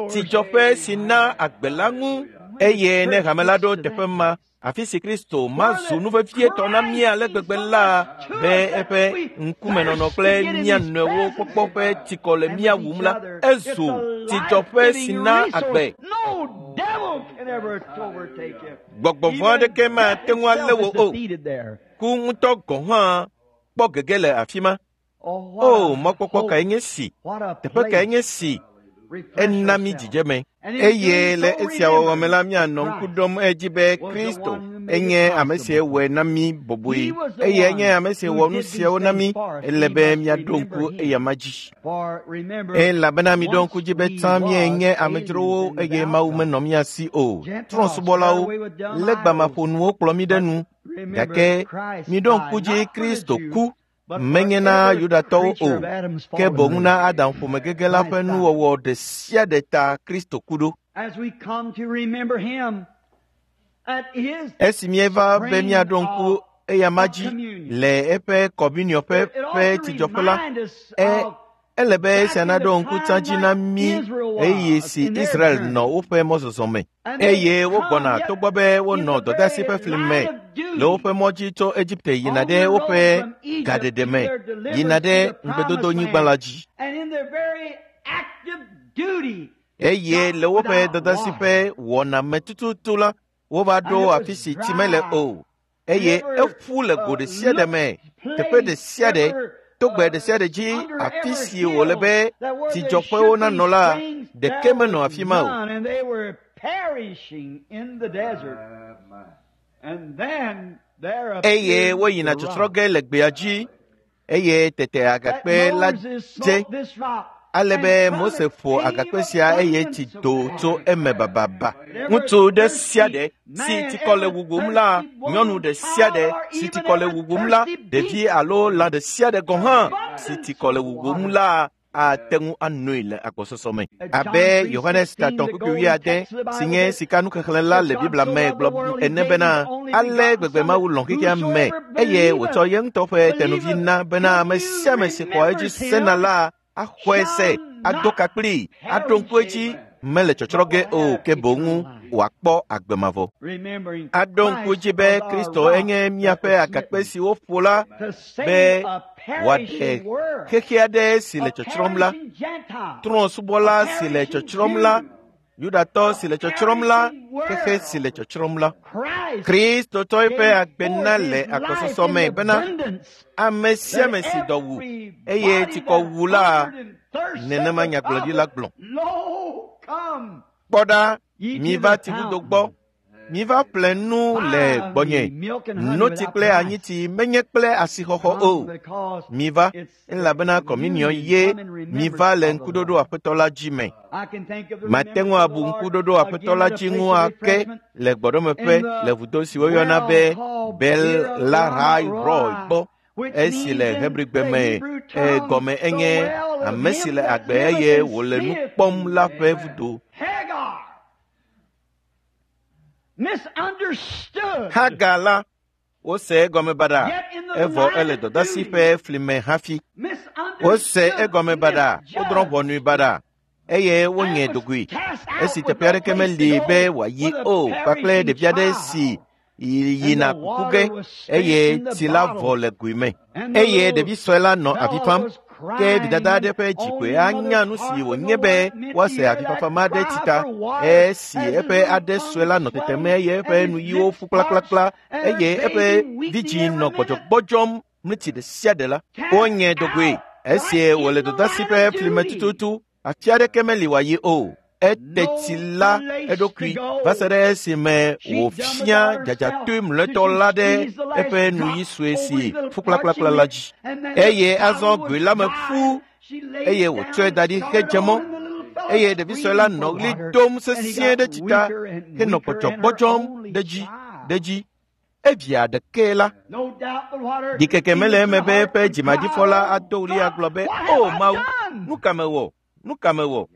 tsidzɔƒe si na agbe la ŋu eye ne hame la ɖo teƒe ma, afi si Kristo mazu nu vevietɔ na mí ale gbegbe la be eƒe ŋkumenɔnɔ kple mía nɔewo kpɔkpɔ ƒe tsikɔ le mía wum la, ezu tsidzɔƒe si na agbe. Gbɔgbɔ vɔ̃ aɖeke mate ŋu alé wò o. Ku ŋutɔ gɔ̃ hã kpɔ gege le afi ma. O, mɔkpɔkpɔ kae nye si! Teƒe kae nye si! Ena mí dzidzeme. Eye le esia wɔwɔ me la, míanɔ ŋku ɖom edzi be Kristo enye ame si wɔe na mí bɔbɔe eye enye ame si wɔ nu siawo na mí. Ele be míaɖo ŋku eyama dzi. Elabena miɖo ŋku dzi be tsã míenye amedzrowo eye Mawu menɔ mía si o. Trɔ̃subɔlawo, legbamaƒonuwo kplɔ mí ɖe nu. Gake miɖo ŋku dzi Kristo ku menye na Yudatɔwo o, ke boŋ na Adam ƒomegege la ƒe nuwɔwɔ ɖe sia ɖe ta Kristo ku ɖo. Esi míeva be míaɖo ŋku eyama dzi le eƒe kɔminiɔƒe ƒe tsidzɔƒe la, e ele be esia naɖo ŋku tsã dzi na mí ɣeyiɣi si Israel nɔ woƒe mɔzɔzɔ me eye wogbɔna togbɔ be wonɔ dɔdeasi ƒe fli me le woƒe mɔ dzi tso Egipte yina ɖe woƒe gaɖeɖe me yina ɖe ŋugbedodonyigba la dzi. Eye le woƒe dɔdeasi ƒe wɔna me tututu la, wova ɖo afi si tsi mele o eye eƒu le go ɖe sia ɖe me, teƒe ɖe sia ɖe, togbe ɖe sia ɖe dzi afi si wòle be tsidzɔƒewo nanɔ la, ɖeke menɔ afi ma o. Eye woyina tsɔtsrɔ̃ ge le gbea dzi eye tete agakpe la dze ale be Mose ƒo agakpe sia eye tsi do tso eme bababa. Ŋutsu ɖe sia ɖe si tsikɔ le wuwum la, nyɔnu ɖe sia ɖe si tsikɔ le wuwum la, ɖevi alo lã ɖe sia ɖe gɔ̃ hã si tsikɔ le wuwum la, ate ŋu anoe le agbɔsɔsɔ me. Abe Yohanes tatɔ̃ kpukpui wuiade si nye sikanuxexlẽ la le Biblia me gblɔ ene bena ale gbegbe Mawu lɔ̃ xexea me eye wòtsɔ ye ŋutɔ ƒe tenuvi na bena ame sia ame si xɔa edzi sena la axɔe se, ado ka kplii, aɖo ŋku edzi mele tsɔtsrɔ̃ ge o ke boŋ wòakpɔ agbe mavɔ. Aɖo ŋku dzi be Kristo enye míaƒe agakpe si woƒo la be wòaɖe xexe aɖe si le tsɔtsrɔ̃m la, trɔ̃subɔla si le tsɔtsrɔ̃m la, Yudatɔ si le tsɔtsrɔ̃m la, xexe si le tsɔtsrɔ̃m la. Kristotɔ eƒe agbe na le agbɔsɔsɔ me bena ame sia ame si dɔ wu eye tsikɔ wu la, nenema nyagblɔɖi la gblɔ. Kpɔ ɖa, miva tsivudo gbɔ, miva ƒle nu le gbɔnye, notsi kple anyitsi menye kple asixɔxɔ o. Miva, elabena kɔminiɔ ye miva le ŋkuɖoɖo Aƒetɔ la dzi me. Mate ŋu abu ŋkuɖoɖo Aƒetɔ la dzi ŋu ake le gbɔɖɔmeƒe le vudo si woyɔna be Bel-Lahai-Roi gbɔ. Esi le Hebrigbe me egɔme enye ame si le agbe eye wòle nu kpɔm la ƒe vudo. Hagar la, wose egɔme baɖa, evɔ ele dɔdasi ƒe fli me hafi. Wose egɔme baɖa, wodrɔ̃ ʋɔnui baɖa, eye wonye dogoe. Esi teƒe aɖeke meli be wòayi o kpakple ɖevi aɖe si yina kuku ge eye tsi la vɔ le goe me. Eye ɖevi sue la nɔ avi fam. Ke vidada aɖe ƒe dzikoe anya nu si wònye be woase avifafa ma ɖe tsi ta. Esi eƒe aɖe sue la nɔ tetem eye eƒe nuyiwo ƒu kplakplakpla eye eƒe vidzĩ nɔ gbɔdzɔgbɔdzɔm mlitsi ɖe sia ɖe la, wonye dogoe. Esi wòle dɔdasi ƒe fli me tututu, afi aɖeke meli wòayi o. Ete tsi la eɖokui va se ɖe esime wòfia dzadzatoe mlɔetɔ la ɖe eƒe nuyi sue si ƒu kplakplakpla la dzi. Eye azɔ goe la me ƒu eye wòtsɔe da ɖi hedze mɔ. Eye ɖevi sue la nɔ ɣli dom sesĩe ɖe tsi ta henɔ gbɔdzɔgbɔdzɔm ɖe dzi ɖe dzi. Evia ɖekɛ la, ɖikeke mele eme be eƒe dzimaɖifɔ la ado ɣli agblɔ be, “O Mawu, nu ka mewɔ? Nu ka mewɔ?”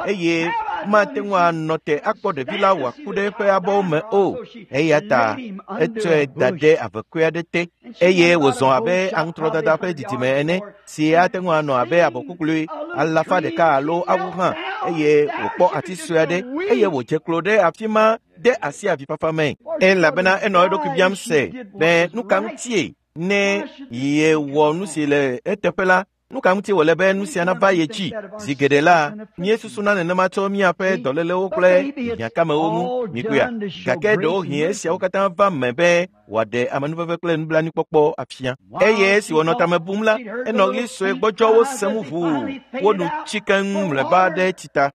Eye mate ŋu anɔ te akpɔ ɖevi la wòaku ɖe eƒe abɔwo me o. Eya ta etsɔe da ɖe avekɔe aɖe te eye wòzɔ abe aŋutrɔdada ƒe didime ene si ate ŋu anɔ abe abɔkuklui alafa ɖeka alo awu hã eye wòkpɔ ati sue aɖe eye wòdze klo ɖe afi ma de asi avifafa me. Elabena enɔ eɖokui biam se be nu ka ŋutie ne yewɔ nu si le eteƒe la, nu ka ŋuti wòle be nu sia nava ye dzi? Zi geɖe la, míesusuna nenema tso míaƒe dɔlélewo kple hiãkamewo ŋu mikpɔea? Gake ɖewohĩ esiawo katã va me be wòaɖe amenuveve kple nublanuikpɔkpɔ afia. Eye esi wònɔ tame bum la, enɔ ɣli sue gbɔdzɔwo sem ʋuu wonu tsi keŋ mlɔeba ɖe tsi ta.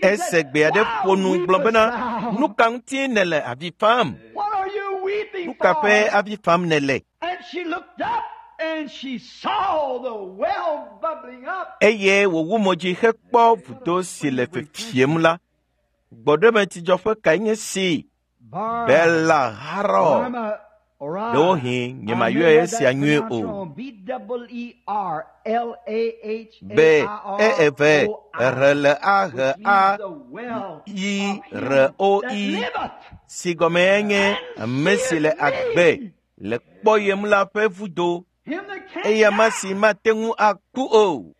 Ese gbe aɖe ƒo nu gblɔ bena, nu ka ŋuti nèle avi fam? Nu ka ƒe avi fam nèle? Eye wòwu mo dzi hekpɔ vudo si le fefiem la. Gbɔɖemetsidzɔƒe kae nye si? Bel-Lahai-Roi. Ɖewohĩ nyemayɔe esia nyuie o. B E eve R L A H A I R O I si gɔme enye ame si le agbe le kpɔyem la ƒe vudo. Eya ma si mate ŋu aku o.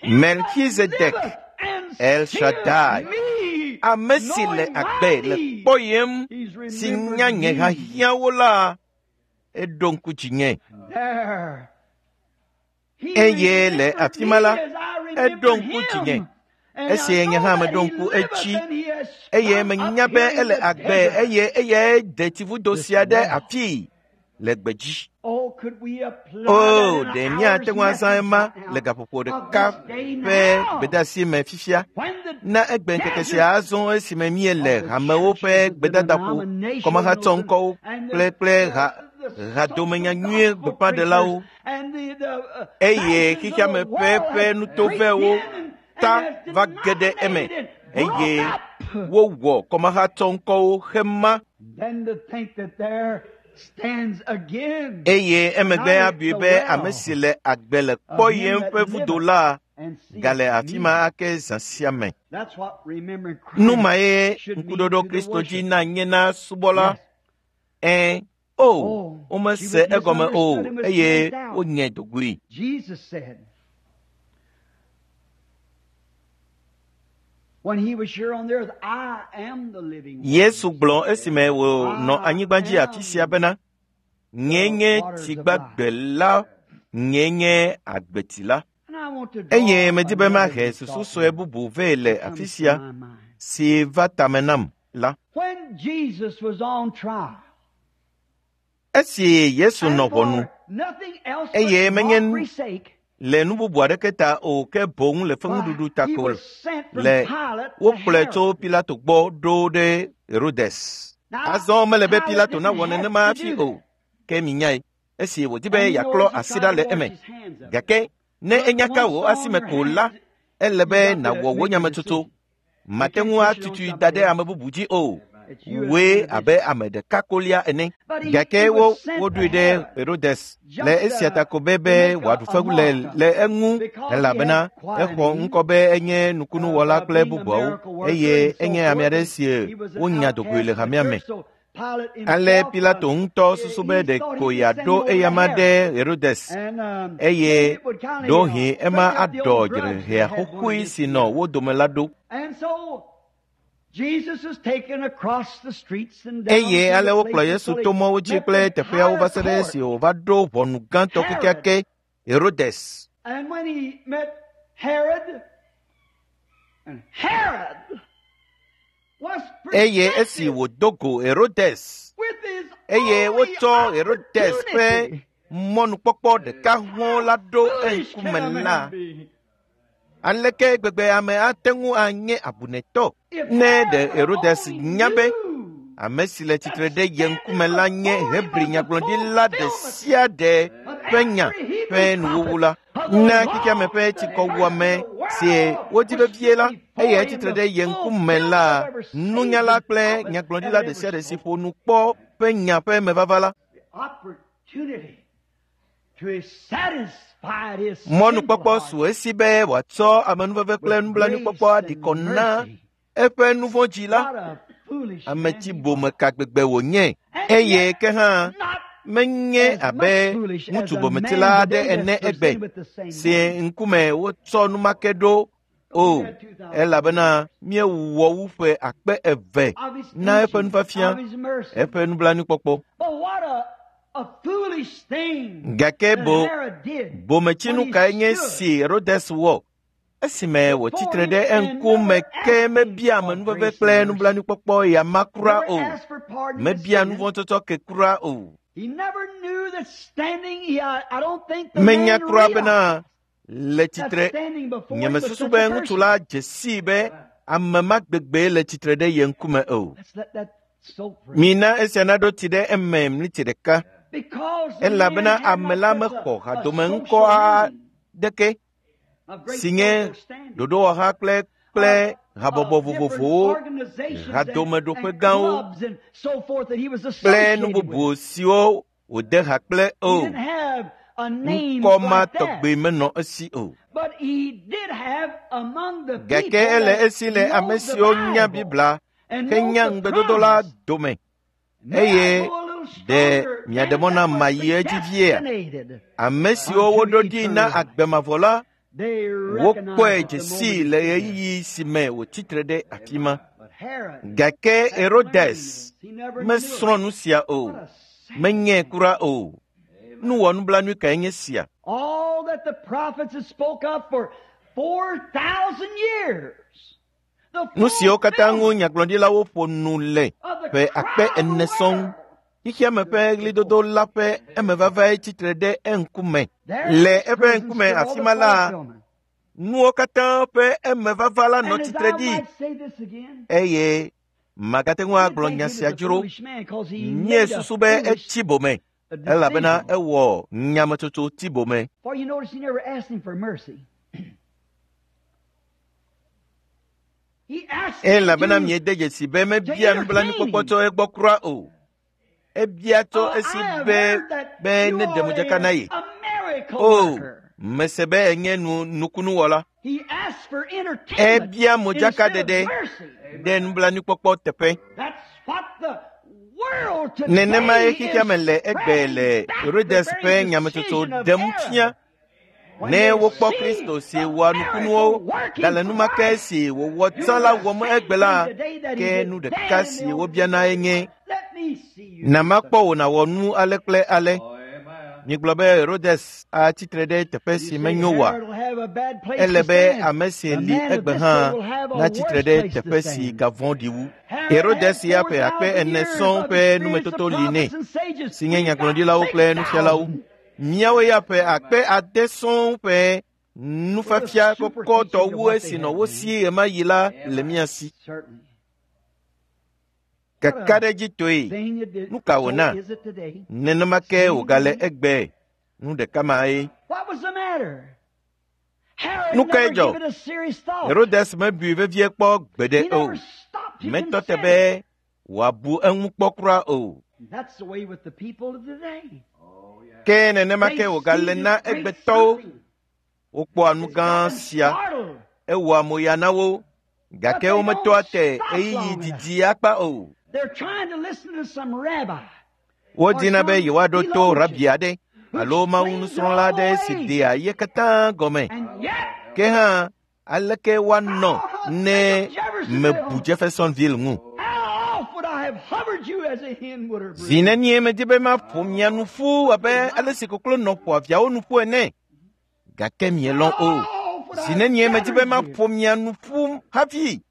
Melchizedek, El Shaddai, ame si le agbe le kpɔyem si nya nye hiahiãwo la, eɖo ŋku dzinye. Eye le afi ma la, eɖo ŋku dzinye. Esi nye hã meɖo ŋku edzi eye menya be ele agbe eye eyae de tsivudo sia ɖe afii le gbedzi. O, ɖe míate ŋu azã ema le gaƒoƒo ɖeka ƒe gbedeasi me fifia na egbe ŋkeke sia azɔ esime míele hamewo ƒe gbedadaƒo, kɔmahatsɔ ŋkɔwo kple kple ha hadomenyanyuie gbeƒãɖelawo eye xexeame ƒe ƒe nutovɛwo ta va ge ɖe eme eye wowɔ kɔmahatsɔ ŋkɔwo hema. Eye emegbe abui be ame si le agbe le kpɔyem ƒe vudo la gale afi ma ake zã sia me. Nu mae ŋkuɖoɖo Kristo dzi na nye na subɔla. Ẽ, o, womese egɔme o eye wonye dogoe. Yesu gblɔ esime wònɔ anyigba dzi afi sia bena, nyee nye tsi gbagbe la, nyee nye agbetsi la. Eye medi be mahe susu sue bubu vɛ le afi sia si va tame nam la. Esi Yesu nɔ ʋɔnu eye menye le nu bubu aɖeke ta o ke boŋ le feŋuɖuɖu ta ko le wokplɔe tso Pilato gbɔ ɖo ɖe Herodes. Azɔ mele be Pilato nawɔ nenema hafi o, ke minyae esi wòdi be yeaklɔ asi ɖa le eme. Gake ne enya ka wò asime ko la, ele be nàwɔ wò nyametsotso. Mate ŋu atutui da ɖe ame bubu dzi o. Wòe abe ame ɖeka kolia ene. Gake wo woɖoe ɖe Herodes le esia ta ko be be wòaɖu fewu le le eŋu elabena exɔ ŋkɔ be enye nukunuwɔla kple bubuawo eye enye ame aɖe si wonya dogoe le hamea me. Ale Pilato ŋutɔ susu be ɖeko yeaɖo eyama ɖe Herodes eye ɖewohĩ ema aɖɔ dzrehea xoxoe si nɔ wo dome la ɖo. Eye ale wokplɔ Yesu to mɔwo dzi kple teƒeawo va se ɖe esi wòva ɖo ʋɔnu gãtɔ kekeake Herodes. Eye esi wòdo go Herodes eye wotsɔ Herodes ƒe mɔnukpɔkpɔ ɖeka hɔ̃ la ɖo eŋkume la, aleke gbegbe ame ate ŋu anye abunetɔ ne ɖe Herodes nya be ame si le tsitre ɖe ye ŋkume la nye Hebri nyagblɔɖila ɖe sia ɖe ƒe nya ƒe nuwuwu la, na xexeame ƒe tsikɔwuame si wodi vevie la, eye tsitre ɖe ye ŋkume la, nunyala kple nyagblɔɖila ɖe sia ɖe si ƒo nu kpɔ ƒe nya ƒe mevava la. Mɔnukpɔkpɔ su esi be wòatsɔ amenuveve kple nublanuikpɔkpɔ aɖi kɔ na eƒe nu vɔ̃ dzi la, ame tsi bome ka gbegbe wònye eye ke hã menye abe ŋutsu bometila aɖe ene egbe si ŋkume wotsɔ numake ɖo o elabena míewɔ wu ƒe akpe eve na eƒe nufiafia, eƒe nublanuikpɔkpɔ. Gake bo bometsinu kae nye si Herodes wɔ esime wòtsi tre ɖe eŋkume ke mebia amenuveve kple nublanuikpɔkpɔ ya ma kura o, mebia nuvɔ̃tsɔtsɔ ke kura o. Menya kura bena le tsitre nyemesusu be ŋutsu la dze sii be ame ma gbegbe le tsitre ɖe ye ŋkume o. Mina esia naɖo tsi ɖe eme mliti ɖeka elabena ame la mexɔ hadome ŋkɔ aɖeke si nye ɖoɖowɔha kple kple habɔbɔ vovovowo, hadomeɖoƒe gãwo kple nu bubu siwo wòde ha kple o. Ŋkɔ ma tɔgbe menɔ esi o. Gake ele esi le ame siwo nya Biblia henya ŋugbedodo la dome eye ɖe miaɖe mɔ na mayi edzi viea? Ame siwo woɖo ɖi na agbe mavɔ la, wokpɔe dze sii le ɣeyiɣi si me wòtsi tre ɖe afi ma. Gake Herodes mesrɔ̃ nu sia o, menyae kura o. Nu wɔnublanui kae nye sia? Nu siwo katã ŋu nyagblɔɖilawo ƒo nu le ƒe akpe ene sɔŋ, xexeame ƒe ɣlidodo la ƒe emevavae tsitre ɖe eŋkume. Le eƒe ŋkume afi ma la, nuwo katã ƒe emevava la nɔ tsitre ɖi eye magate ŋu agblɔ nya sia dzro. Míesusu be etsi bome elabena ewɔ nyametsotso tsi bome. Elabena miede dzesi be mebia nublanuikpɔkpɔ tso egbɔ kura o. Ebia tso esi be be neɖe modzaka na ye. O, mese be enye nu nukunuwɔla. Ebia modzakaɖeɖe ɖe nublanuikpɔkpɔ teƒe. Nenemae xexea me le egbe le Herodes ƒe nyametsotso ɖem fia. Ne wokpɔ Kristo si wɔa nukunuwo gale enumake si wòwɔ tsã la wɔm egbe la, ke nu ɖeka si wobiana enye, na makpɔ wò nàwɔ nu ale kple ale. Migblɔ be Herodes atsitre ɖe teƒe si menyo oa? Ele be ame si li egbe hã natsitre ɖe teƒe si gavɔ̃ɖi wu. Herodes ya ƒe akpe ene sɔŋ ƒe numetoto li nɛ, si nye nyagblɔɖilawo kple nufialawo. Míawo ya ƒe akpe ade sɔŋ ƒe nufiafia kɔkɔtɔ wu esi nɔ wo si ɣemaɣi la le mía si. Kakaɖedzitɔe, nu ka wòna? Nenema ke wògale egbe, nu ɖeka mae. Nu kae dzɔ? Herodes mebui vevie kpɔ gbeɖe o. Metɔ te be wòabu eŋu kpɔ kura o. Ke nenema ke wògale na egbetɔwo. Wokpɔa nu gã sia, ewɔa moya na wo, gake wometɔa te ɣeyiɣi didi akpa o. Wodina be yewoaɖo to rabi aɖe alo mawu nusrɔ̃la aɖe si dea ye katã gɔme. Ke hã, aleke woanɔ ne mebu Jeffersonville ŋu? Zi nenie medi be maƒo mia nu ƒu abe ale si koklo nɔ ƒoa viawo nu ƒu ene, gake mielɔ̃ o. Zi nenie medi be maƒo mia nu ƒu hafi.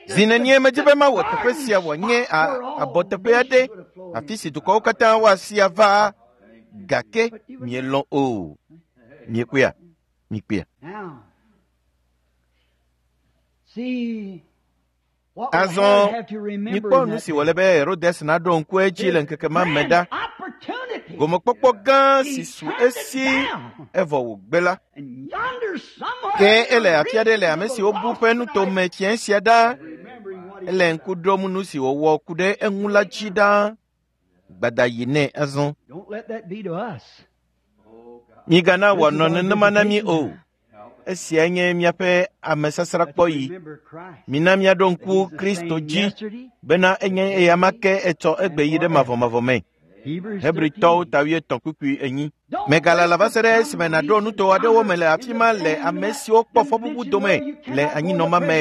Zi nenie medi be mawɔ teƒe sia wòanye abɔteƒe aɖe, afi si dukɔwo katã woasi ava, gake mielɔ̃ o. Miekpɔea? Mikpɔea? Azɔ mikpɔ nu si wòle be Herodes naɖo ŋku edzi le ŋkeke ma me ɖa. Gomekpɔkpɔ gã si su esi evɔ wògbe la. Ke ele afi aɖe le ame siwo bu ƒe nutome fiẽ sia ɖa. Ele ŋku ɖom nu si wòwɔ ku ɖe eŋu la dzi ɖa. Gbada yi nɛ azɔ. Migana wòanɔ nenema na mí o. Esia nye míaƒe amesasrakpɔɣi. Mina míaɖo ŋku Kristo dzi bena enye eyama ke etsɔ egbe yi ɖe mavɔmavɔ me. Hebritɔwo ta wuietɔ̃ kpukpui enyi. Megalala va se ɖe esime nàɖo nuto aɖewo me le afi ma le ame siwo kpɔ fɔbubu dome le anyinɔma me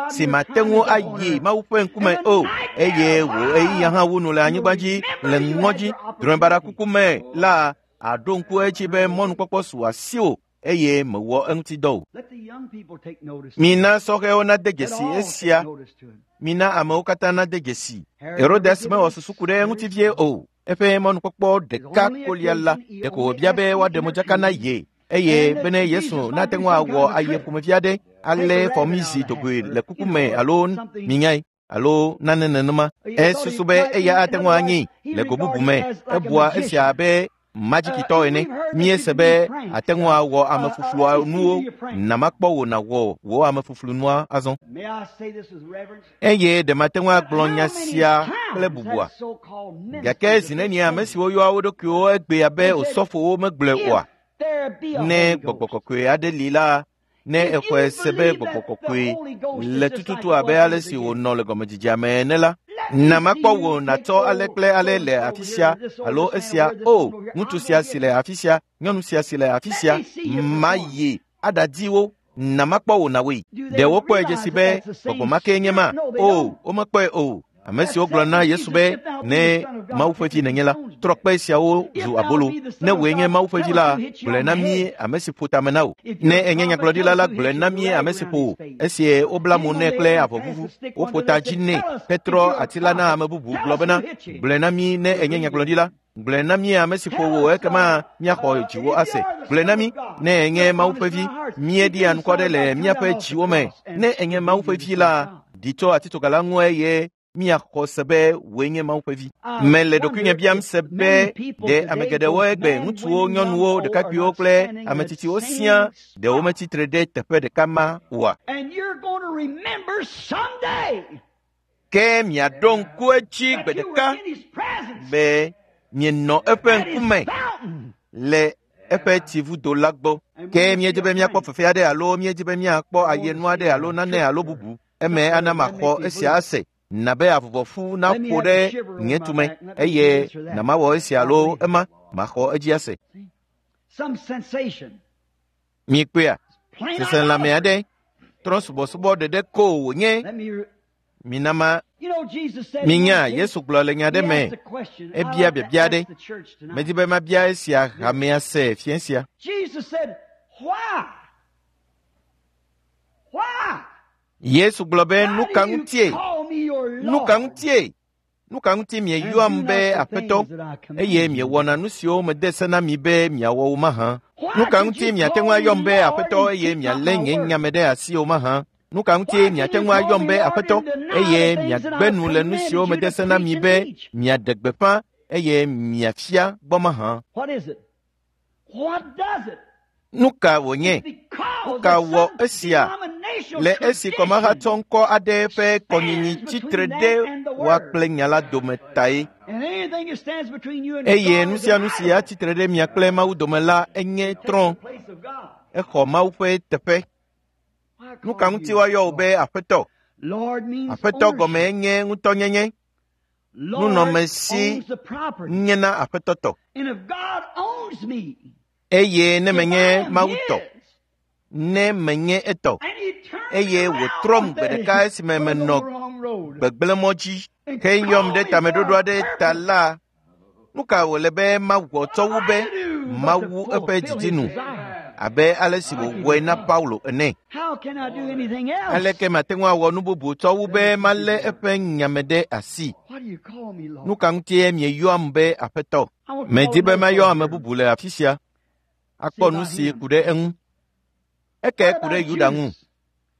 si mate ŋu ayi Mawu ƒe ŋkume o, eye wò ɣeyiɣia hã wu nu le anyigba dzi le ŋɔdzi drɔ̃ebaɖakuku me la, àɖo ŋku edzi be mɔnukpɔkpɔ su asiwò eye mewɔ eŋuti dɔ o. Mina sɔhɛwo nade dzesi esia. Mina amewo katã nade dzesi. Herodes mewɔ susu ku ɖe eŋuti vie o. Eƒe mɔnukpɔkpɔ ɖeka kolia la, ɖeko wòbia be woaɖe modzaka na ye eye bene Yesu nate ŋu awɔ aye ƒomevi aɖe alé fɔmizi dogoe le kuku me alo minyae alo nane nenema. Esusu be eya ate ŋu anyi le go bubu me. Ebua esia abe madzikitɔ ene. Míese be ate ŋu awɔ amefuflua nuwo. Na makpɔ wò nàwɔ wò amefuflunua azɔ. Eye ɖe mate ŋu agblɔ nya sia kple bubua? Gake zi nenie ame siwo yɔa wo ɖokuiwo egbea be osɔfowo megblɔe oa? Ne gbɔgbɔ kɔkɔe aɖe li la, ne exɔe se be gbɔgbɔ kɔkɔe le tututu abe ale si wònɔ le gɔmedzedzea me ene la, na makpɔ wò nàtsɔ ale kple ale le afi sia alo esia. O, ŋutsu sia si le afi sia, nyɔnu sia si le afi sia, mayi aɖadi wo. Na makpɔ wò nàwɔe. Ɖe wokpɔe dzesi be gbɔgbɔ ma kee nye ma? O, womekpɔe o. Ame siwo gblɔ na Yesu be, ne Mawu ƒe vi nènye la, trɔ kpe siawo zu abolo. Ne wòe nye Mawu ƒe vi la, gblɔe na mí ame si ƒo tame na wò. Ne ènye nyagblɔɖila la, gblɔe na mí ame si ƒo wò. Esi wobla mo nɛ kple avɔ vuvu, woƒo ta dzi nɛ hetrɔ ati la na ame bubu gblɔ bena, gblɔe na mí ne ènye nyagblɔɖila. Gblɔe na mí ame si ƒo wò, ekema míaxɔ dziwò ase. Gblɔe na mí ne ènye Mawu ƒe vi. Míeɖia ŋkɔ ɖe le míaƒe dziwo me. Ne ènye Mawu ƒe vi la, ɖi tso atitsoga la ŋu eye míaxɔ se be wòe nye Mawu ƒe vi. Mele ɖokuinye biam se be ɖe ame geɖewo egbe, ŋutsuwo, nyɔnuwo, ɖekakpuiwo kple ame tsitsiwo siaa, ɖe wometsitre ɖe teƒe ɖeka ma oa? Ke miaɖo ŋku edzi that gbe you were ɖeka in his presence be mienɔ eƒe at his ŋkume fountain. le eƒe tsivudo la gbɔ. Ke míedi be míakpɔ fefe aɖe alo míedi be míakpɔ ayenu aɖe alo nane alo bubu. Eme ana maxɔ esia ase. Na be avuvɔfu naƒo ɖe nye tume eye na mawɔ esia alo ema maxɔ edzi ase. Some sensation. Mikpɔea, Plain seselãme idolatry. aɖe trɔ̃subɔsubɔ ɖeɖe ko wònye. Let me, Mina ma you know, Jesus said in minya one case, Yesu gblɔ le nya he aɖe me. asked a question. I Ebia like to biabia ask aɖe. the church tonight. Medi be mabia esia hamea se fiẽ sia. Jesus said, why? Why? Yesu gblɔ be Why nu ka do you ŋutie? call me your Nu ka Lord ŋutie? Nu ka ŋuti and do mieyɔam not be the aƒetɔ things that I eye command you? miewɔna nu siwo mede se na mi be miawɔ wo mahã? Why Nu ka did ŋuti you miate call ŋu me ayɔm be Lord aƒetɔ and eye keep not mialé my nye word? nya me ɖe asi o mahã? Nu ka ŋuti Why can miate you ŋu call ayɔm me be Lord aƒetɔ and deny eye the things that miagbe I've nu le nu commanded siwo you to mede se na preach mi and be teach? miaɖe gbeƒã eye miafia gbɔ mahã? What is it? What does it? Nu ka wònye? It's because Nu ka that wɔ some esia? denominational Le esi tradition kɔmahatsɔ ŋkɔ aɖe ƒe kɔnyinyi stands tsitre between ɖe them and the woa Word. kple nya la dome tae. And anything that stands between you and Eye God nu is sia an nu si idol. atsitre ɖe mia kple Mawu dome la enye Takes trɔ̃. the place of God. Exɔ Mawu ƒe teƒe. Why Nu ka call ŋuti you woayɔ wò Lord? be aƒetɔ? Lord means Aƒetɔ gɔme ownership. enye ŋutɔnyenye. Lord Nunɔmesi owns the property. nye na aƒetɔ tɔ. And if God owns me, Eye ne if I menye am Mawu tɔ, His, ne menye etɔ, and He turned me eye around wòtrɔm one gbe day ɖeka esime when I was on menɔ the wrong road gbegblẽmɔ dzi and heyɔm called ɖe me for tameɖoɖo a aɖe ta purpose, la, nu ka wòle be mawɔ tsɔ what wu am be I to do but to mawu eƒe fulfill didi His nu desire? abe ale si Like He wòwɔe did na Paul. Paulo ene? How can I do anything else Aleke mate ŋu awɔ nu bubu tsɔ wu than be to keep His malé word? eƒe nya me ɖe asi? Why do you call me Nu Lord? ka ŋutie mieyɔam be aƒetɔ? I want to call Medi be another mayɔ fellow ame here. bubu le afi sia See akpɔ nu about si him. ku ɖe eŋu. Eke What ku ɖe about Yuda ŋu, Judas?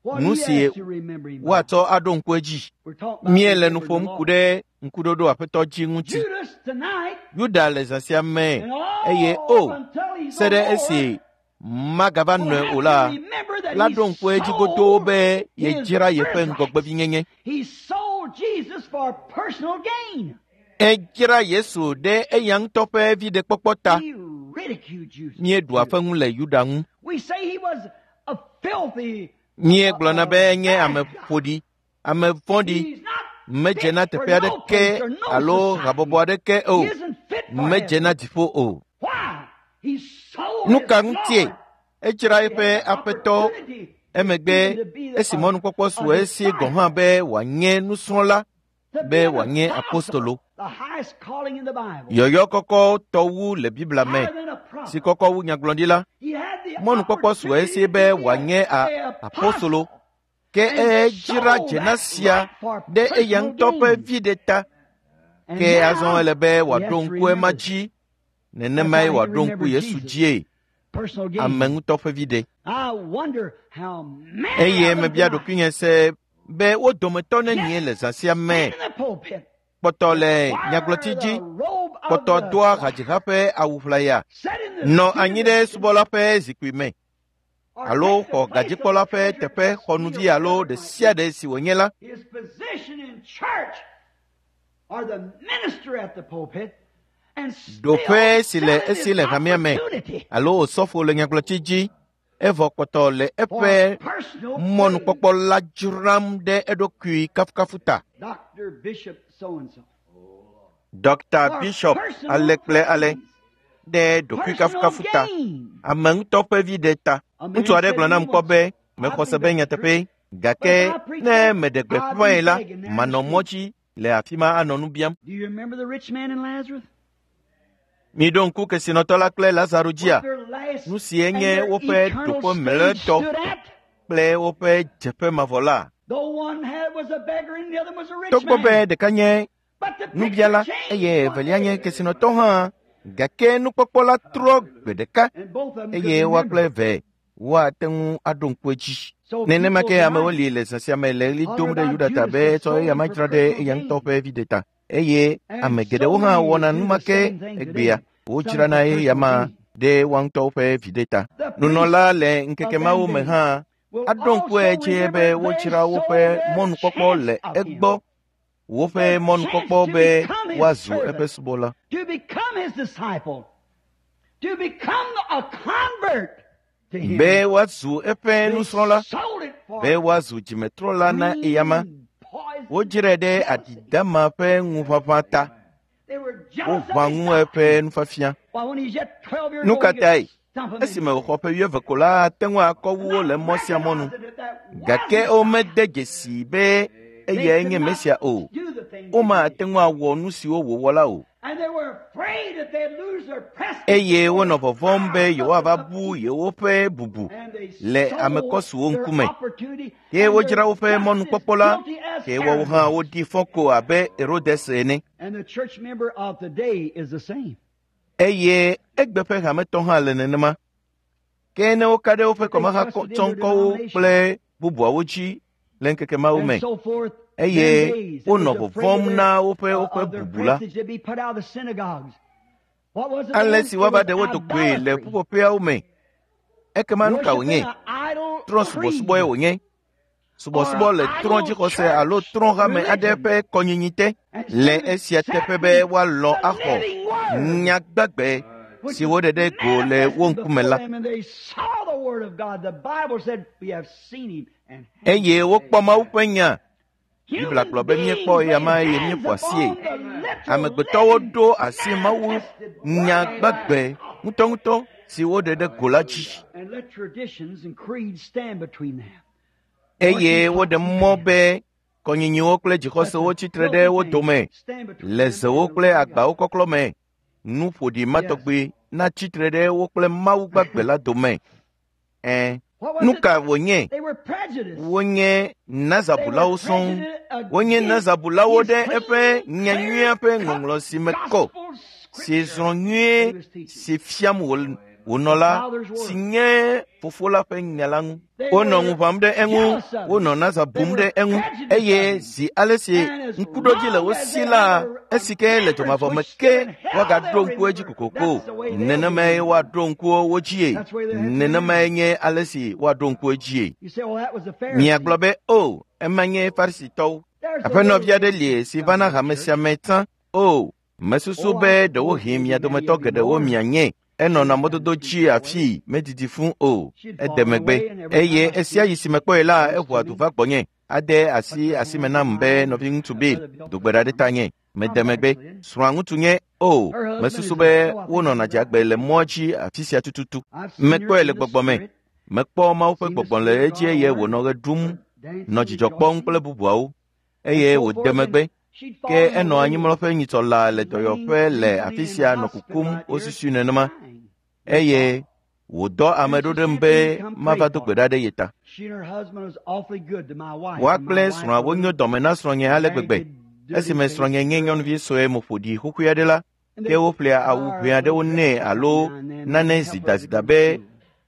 What nu he si has to remember him by. woatsɔ aɖo ŋku edzi. We're talking about Míele nu remembering the ƒom ku Lord. ɖe ŋkuɖoɖo aƒetɔ dzi ŋuti. Judas tonight, Yuda le zã sia me and eye all o up until he's se no ɖe more, esi magava will nɔe have o to la, remember that la he ɖo ŋku edzi godoo sold be his yedzra yeƒe birthright. ŋgɔgbevinyenye. He sold Jesus for personal gain. Edzra Yesu ɖe eya ŋutɔ ƒe viɖekpɔkpɔ ta. He ridiculed Judas. Míeɖua Judas. fe ŋu le Yuda ŋu. We say he was a filthy uh, Míegblɔna uh, be enye bad ame guy. ƒoɖi, ame vɔ̃ɖi, He's not medze fit na for teƒe no aɖeke place or no alo habɔbɔ society. aɖeke o. He isn't fit for Medze na heaven. dziƒo o. Why? He sold Nu his ka ŋutie? Lord. Edzra He eƒe had the aƒetɔ opportunity emegbe even to be the, esi a, mɔnukpɔkpɔ a su esi gɔ̃ hã disciple, be wòanye nusrɔ̃la, to be be an wòanye apostle, apostolo. the highest calling in the Bible, Yɔyɔ kɔkɔ tɔ wu le Biblia me, higher than a si prophet. kɔkɔ wu nyagblɔɖila. He had the Mɔnukpɔkpɔ su opportunity esi to be be a, wòanye a a apostolo. apostle Ke and edzra sold dzena that sia right for ɖe eya personal ŋutɔ ƒe gain. viɖe ta. And Ke azɔ now ele be he has wòaɖo to ŋku ema remember that. dzi. That's Nenemae how he wòaɖo ŋku remembered Yesu Jesus. dzie, Personal ame gain. ŋutɔ ƒe viɖe. I wonder how many Eye of them mebia tonight ɖokuinye se be wo dometɔ yet nenie le zã sia me stand in the pulpit kpɔtɔ that le wear nyagblɔtsi the dzi, robe of kpɔtɔ the doa choir, hadziha ƒe awu ʋlaya, sit in the nɔ seat anyi of the ɖe deacon, subɔla ƒe zikpui me, or alo take the xɔ place of gadzikpɔla the ƒe treasurer teƒe trustee xɔnuvi or alo whatever ɖe it might sia be. ɖe si wònye la, His position in church or the minister at the pulpit and still ɖoƒe si le selling esi his le hamea me opportunity alo osɔfo le nyagblɔtsi dzi, evɔ kpɔtɔ le for eƒe personal mɔnukpɔkpɔ praise. la dzram ɖe eɖokui kafukafu ta. Doctor Bishop so and so. Dɔkta For Bishop personal ale kple ale praise, ɖe ɖokui personal kafukafu ta. gain. Ame ŋutɔ ƒe viɖe ta. A man Ŋutsu aɖe said gblɔ to nam me kpɔ once, be I mexɔ se believe be it's the truth, nyateƒe, but gake if I preach ne that, meɖe I'll gbeƒãe be la, begging there in the manɔ mɔ street. dzi le afi ma anɔ nu biam. Do you remember the rich man and Lazarus? Miɖo ŋku kesinɔtɔ la kple Lazaro What dzia? their last Nu sie and nye their woƒe eternal ɖoƒe stage mlɔetɔ stood at? kple woƒe dzeƒe mavɔ la. Though one had was a beggar and the other was a rich Togbɔ be man. ɖeka nye But the picture nubiala changed eye one evelia nye day. kesinɔtɔ hã, gake nukpɔkpɔ la trɔ gbe ɖeka And both of them could eye woa remember. kple eve woate ŋu aɖo ŋku edzi. So Nenema people ke amewo tonight li le zã sia me le ɣli holler dom ɖe about Yuda ta Judas be that tsɔ sold eya him ma for dzra ɖe personal eya ŋutɔ gain. ƒe viɖe ta. Eye And ame so geɖewo hã many wɔna do nu ma the ke same thing egbea. today. Some Wodzrana for eya personal ma gain. ɖe woa ŋutɔwo ƒe viɖe ta. The priests Nunɔla le ŋkeke of mawo them me days hã will aɖo ŋku also edzi be remember they wodzra sold woƒe their mɔnukpɔkpɔ chance le of him. egbɔ Woƒe mɔnukpɔkpɔ be woazu eƒe subɔla. To become his disciple. To become a convert to him. Be woazu eƒe nusrɔ̃la. Sold it for Be woazu dzimetrɔla na eyama. poison. Wodzrae ɖe adidama ƒe ŋuʋaʋã ta. They were jealous Woʋã of his ŋu doctrine. eƒe nufiafia. Why, when he's yet twelve years Nu old, ka he could tae? stump him Esime wòxɔ ƒe wuieve ko la, ate ŋu akɔ wu wo le mɔ sia mɔ nu. Gake womede dzesii be eyae nye Mesia o. Do the things Womate ŋu awɔ nu siwo wòwɔ la o. And they were afraid that they'd lose their prestige. Eye wonɔ vɔvɔ̃m be yewoava bu yewoƒe bubu And they le sold amekɔsuwo their ŋkume. opportunity Ke and wodzra they're woƒe just as mɔnukpɔkpɔ la, guilty as ke woawo Herod. hã woɖi fɔ ko abe Herodes ene. And the church member of today is the same. Eye egbe ƒe hametɔ hã le nenema. Ke ne woka ɖe woƒe kɔmahatsɔŋkɔwo kple bubuawo dzi le ŋkeke mawo And me, so forth. eye them days, they wonɔ was afraid of vɔvɔ̃m their- na woƒe uh, woƒe of their bubu la. prestige to be put out of the synagogues. What was it Ale then? si It woava was ɖe wo dogoe le idolatry. ƒuƒoƒeawo me. Ekema nu ka Worshiping wònye? an idol Trɔ̃ subɔsubɔe creed. wònye. Subɔsubɔ le trɔ̃ dzixɔse alo trɔ̃ hame aɖe ƒe kɔnyinyi te. Le esia teƒe be woalɔ̃ axɔ nya gbagbe which si woɖe ɖe go le wo manifested ŋkume before la. them, and they saw the word of God. The Bible said, "We have seen him." And Eye wokpɔ Mawu ƒe nya. Biblia Human gblɔ be míekpɔ beings eya ma laid eye hands míeƒo asie. upon the literal Amegbetɔwo living ɖo asi Mawu manifested nya word of gbagbe ŋutɔŋutɔ si woɖe ɖe go la dzi. And let traditions and creeds stand between them. Eye woɖe mɔ be kɔnyinyiwo kple dzixɔsewo tsitre ɖe wo dome le zewo kple agbawo kɔklɔ me. Nu ƒoɖi ma tɔgbi natsi tre ɖe wo kple Mawu gbagbe la dome. Ẽ, What was nu it? ka wònye? They were prejudiced. Wonye They Nazabulawo were sɔŋ. prejudiced Wonye against Nazabulawo his ɖe eƒe clean, nyanyuia ƒe clear-cut ŋɔŋlɔ si me kɔ, gospel si scripture zrɔ̃ he nyuie was teaching. si fiam wò- wònɔ la, si nye fofo la ƒe nya la ŋu. They Wonɔ ŋu were ʋãm ɖe eŋu, jealous of him. wonɔ Naza They bum were ɖe eŋu prejudiced eye of him. zi ale si And as ŋkuɖodzi le long wo as si they la, have a, a esi ke le remembrance dzɔmavɔ me which ke still in hell woagaɖo they'll ŋku edzi remember. kokoko. That's the way they'll be Nenemae remembered. woaɖo ŋku wo dzie. That's the way they have to Nenemae remember. nye ale si woaɖo ŋku edzie. You say, well, that was the Miagblɔ Pharisees. be, o, ema nye Farisitɔwo. There's a Aƒenɔvi little aɖe li lady si comes vana to hame church. sia me tsã. O, mesusu Oh, I be suppose ɖewohĩ maybe mia many dometɔ of you geɖewo know her. mianye. Enɔna She'd come mɔdodo to dzi speak away. afii, medidi fũ o. She'd Ede fall megbe away, and every eye time I see esia her, yi si mekpɔe la, comes eʋua to du me, va gbɔnye. Ade asi puts her asime hands on nam be mine, nɔviŋutsu and Bill, Brother Bill do gbe ɖa ɖe comes. tanye. Mede I'm megbe. backslid. Srɔ̃a ŋutsu nye o. Her husband Mesusu is a, be oh, I think wonɔna he's a dzagbe le mɔa dzi afi sia tututu. I've seen her Mekpɔe in le the gbɔgbɔ me. spirit, Mekpɔ Mawu ƒe seen the gbɔgbɔ le Spirit of edzi God eye on her, wònɔ ɣe ɖum, her nɔ dancing, dzidzɔ kpɔm rejoicing, kple bubuawo and eye so wòde forth. And megbe. she'd Ke fallen enɔ away anyimlɔƒe nyitsɔ laa le and laying dɔyɔƒe le recently afi in sia nɔ hospital kukum out here, wosusui nenema dying. They eye thought. wòdɔ ame And ɖo she ɖem sent be me to come pray mava do for gbe her. ɖa ɖe ye ta. She and her husband was awfully good to my wife, Woa and my kple wife srɔ̃a a wonyo little dɔme na srɔ̃nye ale gbegbe. ragged, dirty Esime faced srɔ̃nye nye girl. nyɔnuvi sue mo ƒo ɖi xoxoe aɖe la, And ke they'd woƒlea buy awu her ʋɛ a little aɖewo dress nɛ or something alo now and then nane and help her to go to zidazida be school.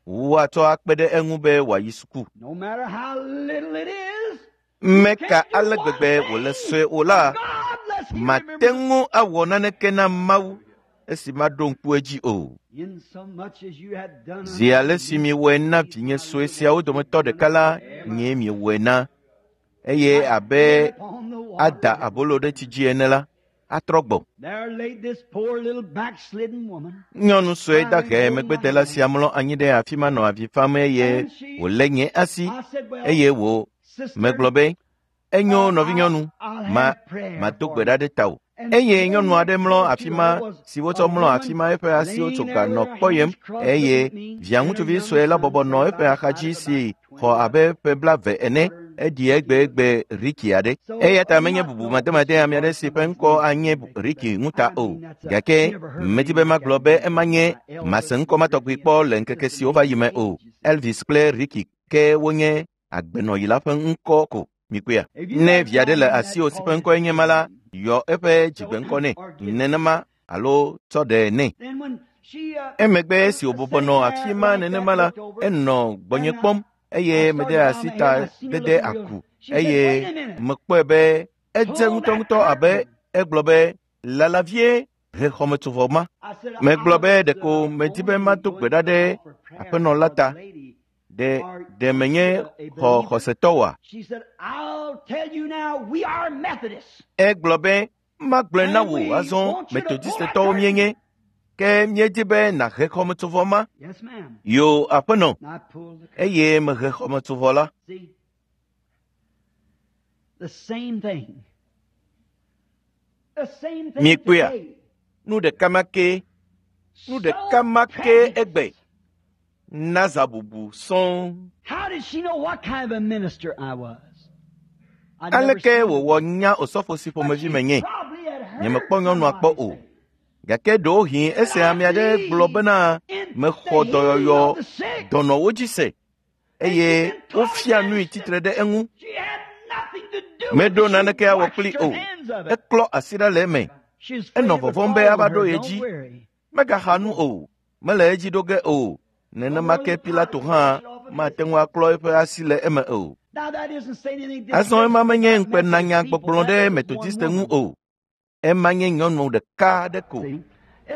woatsɔ akpe ɖe eŋu be wòayi suku. No matter how little it is, you Meka can't do ale one gbegbe wòle thing sue o for la, God lest He mate remember ŋu awɔ naneke na Mawu esi maɖo ŋku edzi o. in so much as you have done Zi unto ale the si least miewɔe of na these vinye my sue little siawo ones, you've dometɔ done ɖeka la, unto me. nyee miewɔe na. Eye Like abe bread upon the water. ada abolo ɖe tsi dzi ene la, atrɔ gbɔ. There laid this poor little backslidden woman, Nyɔnu sue crying, dahe holding my megbedela hand. sia mlɔ anyi ɖe afi ma nɔ avi fam eye And she, wòlé nye asi I said, Well, eye wò sister, megblɔ be, enyo uh, I'll, nɔvinyɔnu, I'll ma have prayer mado for gbe you. ɖa ɖe tawò. And Eye laying nyɔnu aɖe next mlɔ door afi to ma her was si a wotsɔ mlɔ woman afi ma eƒe asiwo laying tso there ga with nɔ her kpɔyem hands crossed eye looking at me, via and her ŋutsuvi young sue la son bɔbɔ nɔ sat eƒe by her side axadzi of si about xɔ twenty abe ƒe blaeve ene quarter eɖi egbegbe Riki aɖe. So Eya ta I'm menye not bubu no mademade ame aɖe disregard si ƒe somebody's ŋkɔ name anye or anything like Riki that. ŋuta I o. mean, that's a, Gake you never heard a medi name be like magblɔ that be before. ema nye Uh, mase Elvis ŋkɔ ma and tɔgbi Ricky kpɔ and le ŋkeke just a siwo name va yi me of o. age, you see. Elvis kple Ricky ke wonye agbenɔyila ƒe ŋkɔ ko. Mikpɔea? If you Ne got vi aɖe children le that asiwò si call ƒe his ŋkɔe nye ma la, name, yɔ eƒe so dzigbeŋkɔ nɛ or give nenema alo tsɔ ɖe nɛ. then when she uh, Emegbe uh, esi wòbɔbɔ sat nɔ there afi ma like that, nenema la, looked over, enɔ gbɔnye and I, kpɔm eye I mede started down asi my head ta and I seen her dede looking real. aku She said, eye "Wait a minute, mekpɔe be edze pull that ŋutɔŋutɔ abe curtain." egblɔ be lalавie he xɔmetsovɔ ma. I said, Megblɔ "I be was ɖeko uh, medi be going mado to gbe ɖa going to ɖe offer prayer aƒenɔ la for the ta. lady Ɖe ɖe menye xɔ xɔsetɔ oa? Egblɔ be, magblɔe na wò azɔ Metodistetɔwo míenye, ke míedi be nàhe xɔmetsovɔ ma. Yo, aƒenɔ, eye mehe xɔmetsovɔ la. Miekpɔea? Nu ɖeka ma ke, nu ɖeka ma ke egbe. Naza bubu sɔŋ. Aleke wòwɔ nya osɔfo si ƒomevi menye? Nyemekpɔ nyɔnua kpɔ o. Gake ɖewohĩ ese ame aɖe gblɔ bena mexɔ dɔyɔyɔ dɔnɔwo dzi se eye wofia nui tsitre ɖe eŋu. Meɖo naneke awɔ kpli o. Eklɔ asi ɖa le eme. Enɔ vɔvɔ̃m be ava ɖo ye dzi. Megaxa nu o. Mele edzi ɖo ge o. Nenema ke Pilato hã mate ŋu aklɔ eƒe asi le eme o. Azɔ ema menye ŋukpenanyagbɔgblɔ ɖe Metodiste ŋu o. Ema nye nyɔnu ɖeka aɖe ko.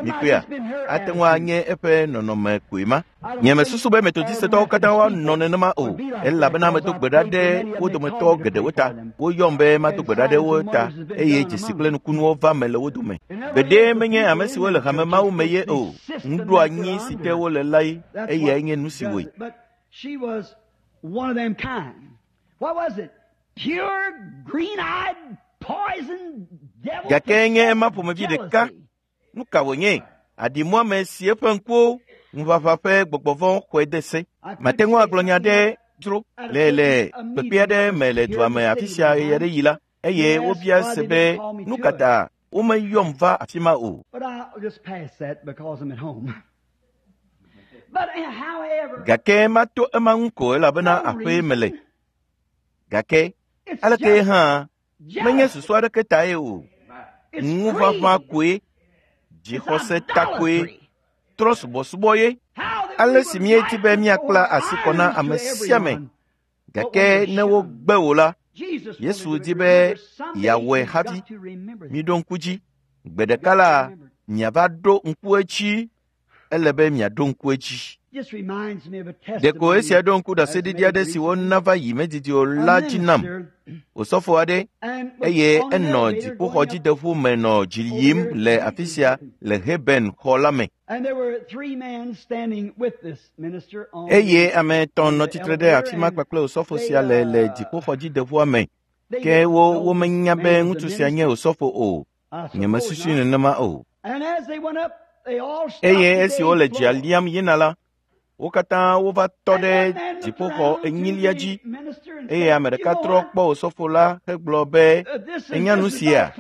Mikpɔea, ate ŋu anye eƒe nɔnɔme koe ma. Nyemesusu be Metodistetɔwo katã woanɔ nenema o, elabena medo gbe ɖa ɖe wo dometɔ geɖewo ta. Woyɔm be mado gbe ɖa ɖe wo ta eye dzesi kple nukunuwo va me le wo dome. Gbeɖe menye ame siwo le hame mawo me ye o. Nuɖoanyi si te wole la ye, eyae nye nu si wɔe. Gake nye ema ƒomevi ɖeka. Nu ka wònye? Aɖimuame si eƒe ŋkuwo ŋuʋaʋã ƒe gbɔgbɔ vɔ̃ xɔe de se. Mate ŋu agblɔ nya ɖe dzro le le kpekpe aɖe me le dua me afi sia ɣe aɖe yi la, eye wobia se be nu ka ta womeyɔm va afi ma o. Gake mato ema ŋu ko elabena aƒee mele. Gake aleke hã menye susu aɖeke tae o. Ŋuʋaʋã koe, dzixɔse ta koe, trɔ subɔsubɔ ye. Ale si míedi be míakpla asi kɔ na ame sia ame, gake ne wogbe wò la, Yesu di be yeawɔe hafi. Miɖo ŋku dzi, gbe ɖeka la, miava ɖo ŋku edzi. Ele be miaɖo ŋku edzi. Ɖeko esia ɖo ŋku ɖaseɖiɖi aɖe si wona va yi medidi o la dzi nam. Osɔfo aɖe eye enɔ dziƒoxɔdzideƒu me nɔ dzi yim le afi sia le Heben xɔ la me. Eye ame etɔ̃ nɔ tsitre ɖe afi ma kpakple osɔfo sia le le dziƒoxɔdzideƒua me. Ke wo womenya be ŋutsu sia nye osɔfo o. Nyemesusui nenema o. Eye esi wole dzia liam yina la, wo katã wova tɔ ɖe dziƒoxɔ enyilia dzi eye ame ɖeka trɔ kpɔ osɔfo la hegblɔ be, enya nu sia?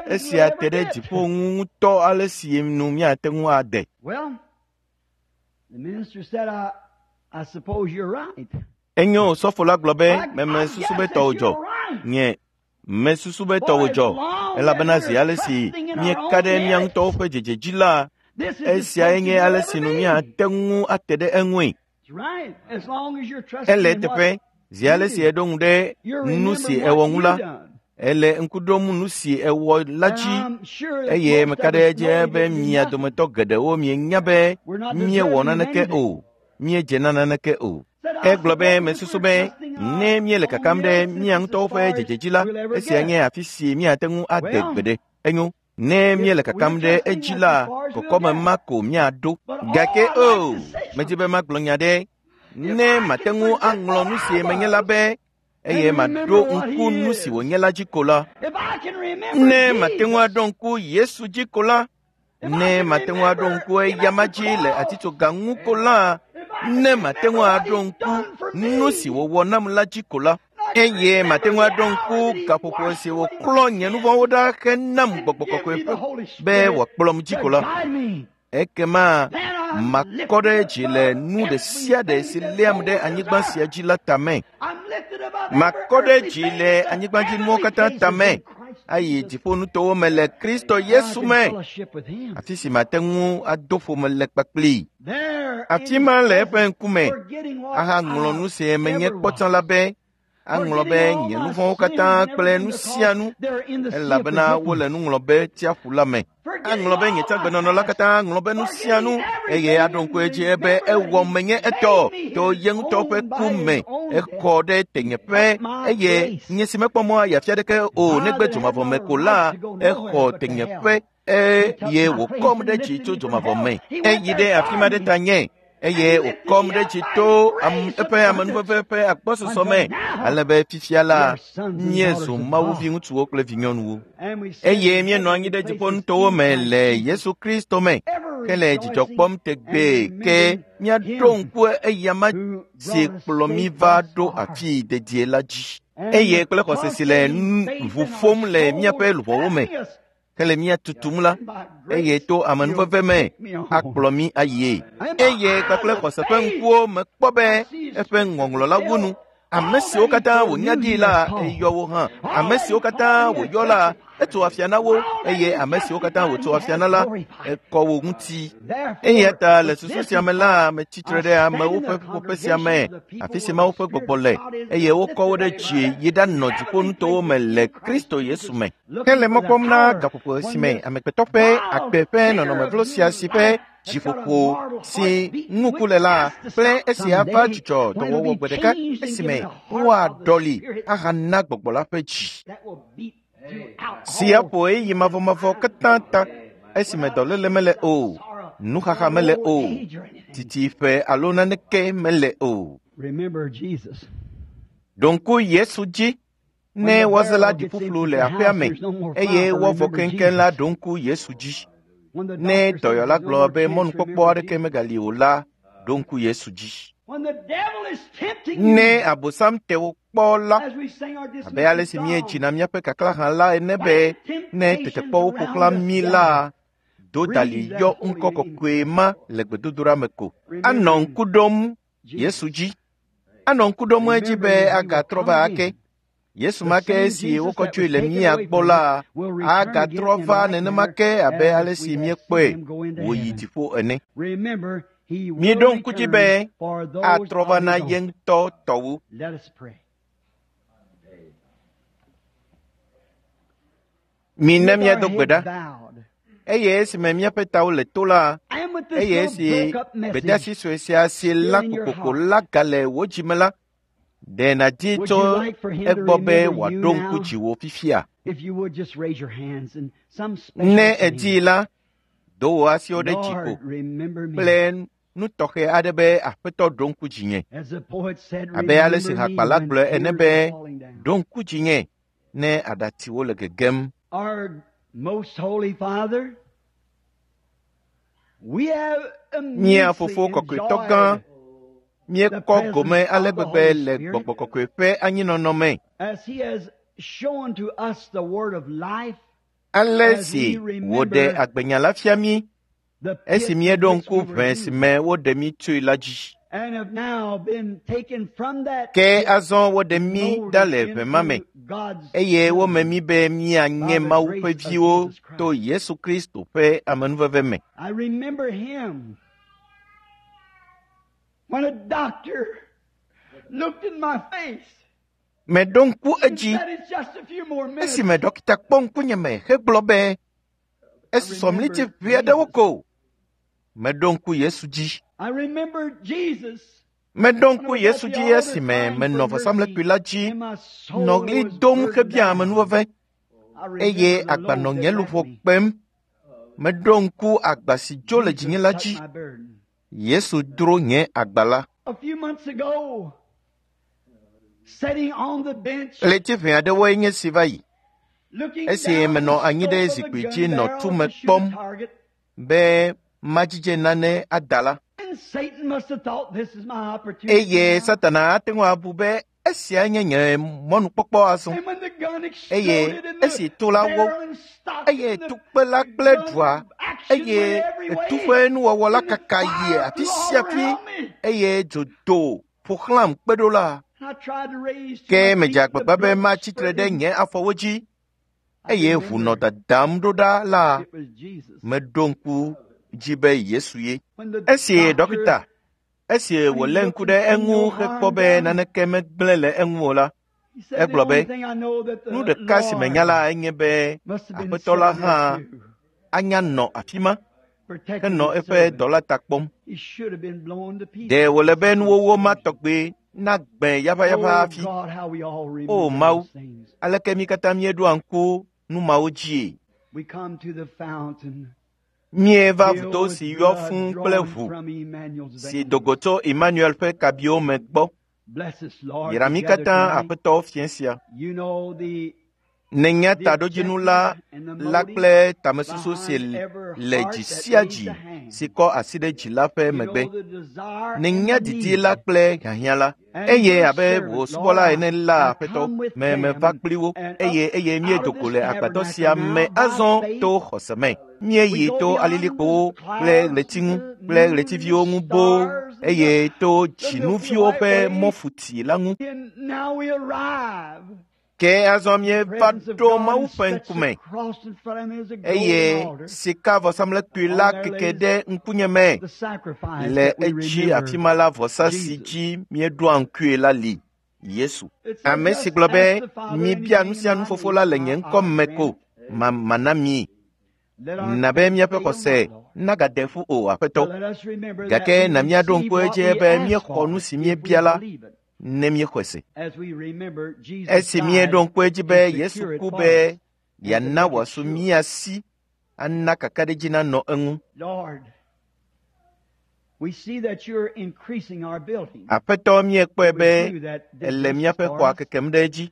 Esia te ɖe dziƒo ŋu ŋutɔ ale si nu míate ŋu ade. Enyo osɔfo la gblɔ be, memesusu be tɔwò dzɔ. Nye mesusu be tɔwò dzɔ, elabena zi ale si míeka ɖe mía ŋutɔwo ƒe dzedze dzi la, esiae nye ale si nu míate ŋu ate ɖe eŋui. Ele eteƒe, zi ale si eɖo ŋu ɖe nu si ewɔ ŋu la, ele ŋku ɖom nu si ewɔ la dzi, eye meka ɖe edzi be mia dometɔ geɖewo mienya be míewɔ naneke o, míedze na naneke o. Egblɔ be mesusu be ne míele kakam ɖe mía ŋutɔwo ƒe dzedze dzi la, esia nye afi si míate ŋu ade gbeɖe. Enyo. Ne míele kakam ɖe edzi la, kɔkɔme ma ko míaɖo. Gake o, medi be magblɔ nya ɖe. Ne mate ŋu aŋlɔ nu si menye la be, eye maɖo ŋku nu si wònye la dzi ko la. Ne mate ŋu aɖo ŋku Yesu dzi ko la, ne mate ŋu aɖo ŋku eyama dzi le atitsoga ŋu ko la, ne mate ŋu aɖo ŋku nu si wòwɔ nam la dzi ko la, eye mate ŋu aɖo ŋku gaƒoƒo si wòklɔ nye nu vɔ̃wo ɖa henam gbɔgbɔ kɔkɔe ƒe be wòakplɔm dzi ko la, ekema makɔ ɖe dzi le nu ɖe sia ɖe si léam ɖe anyigba sia dzi la tame. Makɔ ɖe dzi le anyigbadzinuwo katã tame ayi dziƒonutowo me le Kristo Yesu me, afi si mate ŋu ado ƒome le kpakplii. Afi ma le eƒe ŋkume ahaŋlɔ nu si menye kpɔ tsã la be, Aŋlɔ be nye nu vɔ̃wo katã kple nu sia nu elabena wole nu ŋlɔ be tsiaƒu la me. Aŋlɔ be nye tsãgbenɔnɔ la katã ŋlɔ be nu sia nu eye aɖo ŋku edzi be ewɔ menye etɔ to ye ŋutɔ ƒe ku me. Exɔ ɖe tenyeƒe eye nye si mekpɔ mɔ ayi afi aɖeke o negbe dzomavɔ me ko la exɔ tenyeƒe eye wòkɔm ɖe dzi tso dzomavɔ me. Eyi ɖe afi ma ɖe ta nye eye wòkɔm ɖe dzi to eƒe amenuveve ƒe agbɔsɔsɔ me ale be fifia la míezu Mawu viŋutsuwo kple vinyɔnuwo eye míenɔ anyi ɖe dziƒonutowo me le Yesu Kristo me ke le dzidzɔ kpɔm tegbee ke míaɖo ŋku eyama si kplɔ mí va ɖo afii dedie la dzi eye kple xɔse si le ʋu ƒom le míaƒe luʋɔwo me hele mía tutum la eye to amenuveve me akplɔ mí ayie eye kpakple xɔse ƒe ŋkuwo mekpɔ be eƒe ŋɔŋlɔ la wu nu. Ame siwo katã wònya ɖi la eyɔ wo hã. Ame siwo katã wòyɔ la etso afia na wo eye ame siwo katã wòtso afia na la ekɔ wo ŋuti. Eya ta le susu sia me la metsitre ɖe amewo ƒe ƒuƒoƒe sia me afi si Mawu ƒe gbɔgbɔ le eye wokɔ wo ɖe dzi yi ɖanɔ dziƒonutowo me le Kristo Yesu me. Hele mɔ kpɔm na gaƒoƒo si me amegbetɔ ƒe agbe ƒe nɔnɔme vlo sia si ƒe dziƒoƒo si ŋuku le la kple esi ava dzudzɔ dɔwɔwɔ gbe ɖeka esime woaɖɔli ahana gbɔgbɔ la ƒe dzi si aƒo ɣeyiɣi mavɔmavɔ katã ta esime dɔléle mele o, nuxaxa mele o, titiƒe alo naneke mele o. Ɖo ŋku Yesu dzi ne wɔze la ɖi ƒuƒlu le aƒea me eye woavɔ keŋkeŋ la ɖo ŋku Yesu dzi. Ne dɔyɔla gblɔ be mɔnukpɔkpɔ aɖeke megali o la, ɖo ŋku Yesu dzi. Ne Abosam te wò kpɔ la, abe ale si míedzina míaƒe kaklã la ene be ne tetekpɔwo ƒo xlã mí la, do dali yɔ ŋkɔ kɔkɔe ma le gbedodoɖa me ko. Anɔ ŋku ɖom Yesu dzi. Anɔ ŋku ɖom edzi be agatrɔ va ake. Yesu ma ke si wokɔ tsoe le mía gbɔ la agatrɔ va nenema ke abe ale si míekpɔe wòyi dziƒo ene. Míeɖo ŋku dzi be atrɔ va na ye ŋutɔ tɔwo. Mina míado gbe ɖa. Eye esime míaƒe tawo le to la, eye esi gbedeasi sue sia si la kokoko la gale wò dzi me la, ɖe nàdi tso egbɔ be wòaɖo ŋku dziwò fifia. Ne èdii la, do wò asiwo ɖe dzi ko kple nu tɔxɛ aɖe be Aƒetɔ ɖo ŋku dzinye. Abe ale si hakpala gblɔe ene be ɖo ŋku dzinye ne aɖatsiwo le gegem. Mía Fofo Kɔkɔetɔ gã, míekpɔ gome ale gbegbe le Gbɔgbɔ Kɔkɔe ƒe anyinɔnɔ me. Ale si wòɖe agbenya la fia mí esi míeɖo ŋku ʋe si me woɖe mí tsoe la dzi. Ke azɔ woɖe mí ɖa le ʋe ma me eye wome mí be míanye Mawu ƒe viwo to Yesu Kristo ƒe amenuveve me. When a doctor looked in my face, Meɖo ŋku edzi esime dɔkita kpɔ ŋkunyeme hegblɔ be esusɔ mliti ʋɛ aɖewo ko. Meɖo ŋku Yesu dzi. Meɖo ŋku Yesu dzi esime menɔ vɔsamlekpui la dzi nɔ ɣli dom hebia amenuveve eye agba nɔ nye luʋɔ kpem. Meɖo ŋku agba si dzo le dzinye la dzi. Yesu dro nye agba la. Ɣleti ʋɛ aɖewoe nye si va yi esi menɔ anyi ɖe zikpui dzi nɔ tume kpɔm be madzidze nane ada la. Eye Satana ate ŋu abu be esia nye nye mɔnukpɔkpɔ azɔ. Eye esi to la wó eye tukpe la kple ɖua eye tu ƒe nuwɔwɔ la kaka yi afi sia afi eye dzo do ƒo xlãm kpe ɖo la. Ke medze agbagba be matsi tre ɖe nye afɔwo dzi eye ʋu nɔ dadam ɖo ɖa la, meɖo ŋku dzi be Yesu ye. Esi dɔkita, esi wòlé ŋku ɖe eŋu hekpɔ be naneke megblẽ le eŋu o la, Egblɔ be, nu ɖeka si menya la enye be Aƒetɔ la hã anya nɔ afi ma henɔ eƒe dɔla ta kpɔm. Ɖe wòle be nuwɔwɔ ma tɔgbe nagbẽ yaʋayaʋa hafi. O Mawu, aleke mí katã míeɖoa ŋku nu mawo dzie? Míeva vudo si yɔ fũu kple ʋu si do go tso Emmanuel ƒe kabiwo me gbɔ. Yra mí katã Aƒetɔ fiẽ sia. Nènya taɖodzinu la la kple tamesusu si le dzi sia dzi si kɔ asi ɖe dzi la ƒe megbe. Nènya didi la kple hiahiã la. Eye abe wò subɔla ene la Aƒetɔ, me meva kpli wo eye eye míedo go le agbadɔ sia me azɔ to xɔse me. Míeyi to alilikpowo kple ɣleti ŋu kple ɣletiviwo ŋu boo eye to dzinuviwo ƒe mɔfuti la ŋu. Ke azɔ míeva ɖo Mawu ƒe ŋkume eye sikavɔsamlekpui la keke ɖe ŋkunye me le edzi afi ma la vɔsa si dzi míeɖoa ŋkue la li Yesu. Ame si gblɔ be mibia nu sia nu fofo la le nye ŋkɔ me ko ma mana mi. Na be míaƒe xɔse nagade ƒu o Aƒetɔ. Gake na míaɖo ŋku edzi be míexɔ nu si míebia la ne míexɔe se. Esi míeɖo ŋku edzi be Yesu ku be yeana wòasu mía si ana kakaɖedzi nanɔ eŋu. Aƒetɔ míekpɔe be ele míaƒe xɔa kekem ɖe edzi.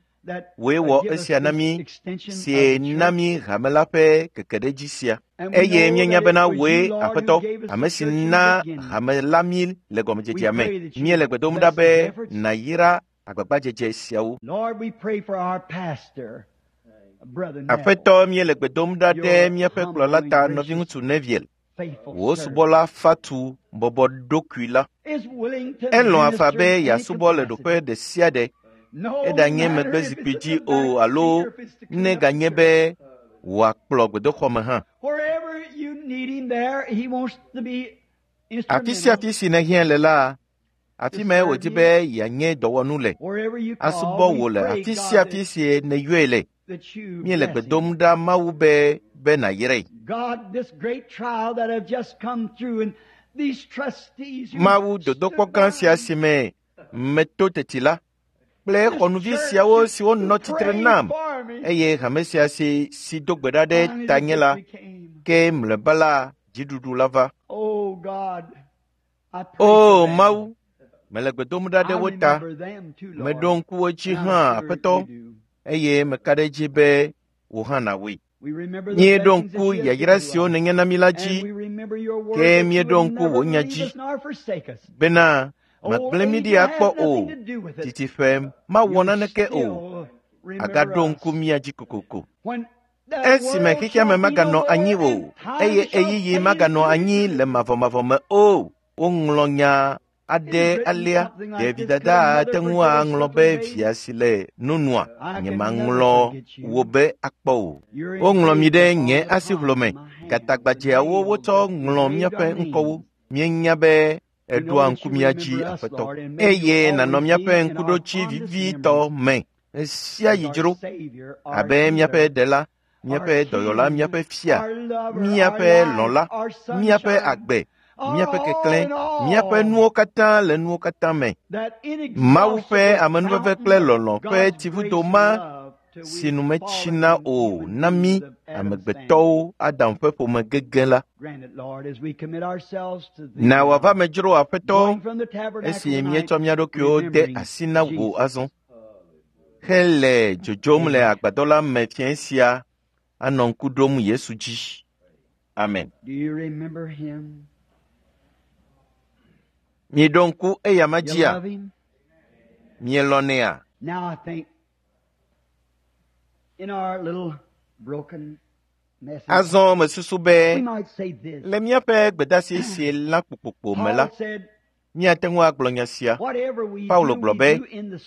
Wòe wɔ esia na mí sie na mí hame la ƒe kekeɖedzi sia. Eye míenya bena wòe Aƒetɔ, ame si na hame la mí le gɔmedzedzea me. Míele gbe dom ɖa be nàyra agbagbadzedze siawo. Aƒetɔ, míele gbe dom ɖa ɖe míaƒe kplɔla ta nɔviŋutsu Neville, wò subɔla fatu bɔbɔ ɖokui la. Elɔ̃a faa be yeasubɔ le ɖoƒe ɖe sia ɖe. Eɖanye megbe zikpui dzi o alo ne ganye be wòakplɔ gbedoxɔ me hã. Afi sia afi si nèhiã le la, afi mae wòdi be yeanye dɔwɔnu le. Asubɔ wò le afi sia afi si nèyɔe le. Míele gbe dom ɖa Mawu be be nàyrae. Mawu dodokpɔ gã sia si me meto teti la, kple xɔnuvi siawo siwo nɔ tsitre nam eye hame sia si si do gbe ɖa ɖe tanye la, ke mlɔeba la dziɖuɖu la va. O Mawu, mele gbe dom ɖa ɖe wo ta. Meɖo ŋku wo dzi hã, Aƒetɔ, eye meka ɖe edzi be wò hã nàwɔe. Míeɖo ŋku yayra siwo nènye na mí la dzi, ke míeɖo ŋku wò nya dzi bena màgblẽ mí ɖi akpɔ o, titiƒe mawɔ naneke o, agaɖo ŋku mía dzi kokoko. Esime xexea me maganɔ anyi o, eye ɣeyiɣi maganɔ anyi le mavɔmavɔ me o, woŋlɔ nya aɖe alea. Ɖe vidada ate ŋu aŋlɔ be via si le nonua, nyemaŋlɔ wò be akpɔ o. Woŋlɔ mi ɖe nye asiʋlo me. Gatagbadzɛawo wotsɔ ŋlɔ míaƒe ŋkɔwo. Míenya be eɖoa ŋku mía dzi, Aƒetɔ, eye nànɔ míaƒe ŋkuɖodzi vivitɔ me ɣe sia ɣi dzro abe míaƒe Ɖela, míaƒe Dɔyɔla, míaƒe Fia, míaƒe Lɔ̃la, míaƒe agbe, míaƒe keklẽ, míaƒe nuwo katã le nuwo katã me. Mawu ƒe amenuveve kple lɔlɔ̃ ƒe tsivudo ma si nu metsina o na mí amegbetɔwo Adam ƒe ƒome gege la. Na wòava me dzro Aƒetɔ esi míetsɔ mía ɖokuiwo de asi na wò azɔ hele dzodzom le agbadɔ la me fiẽ sia anɔ ŋku ɖom Yesu dzi. Amen. Mieɖo ŋku eyama dzia? Mielɔ̃nɛa? Azɔ mesusu be le míaƒe gbedasi si lã kpokpokpo me la, míate ŋu agblɔ nya sia. Paulo gblɔ be,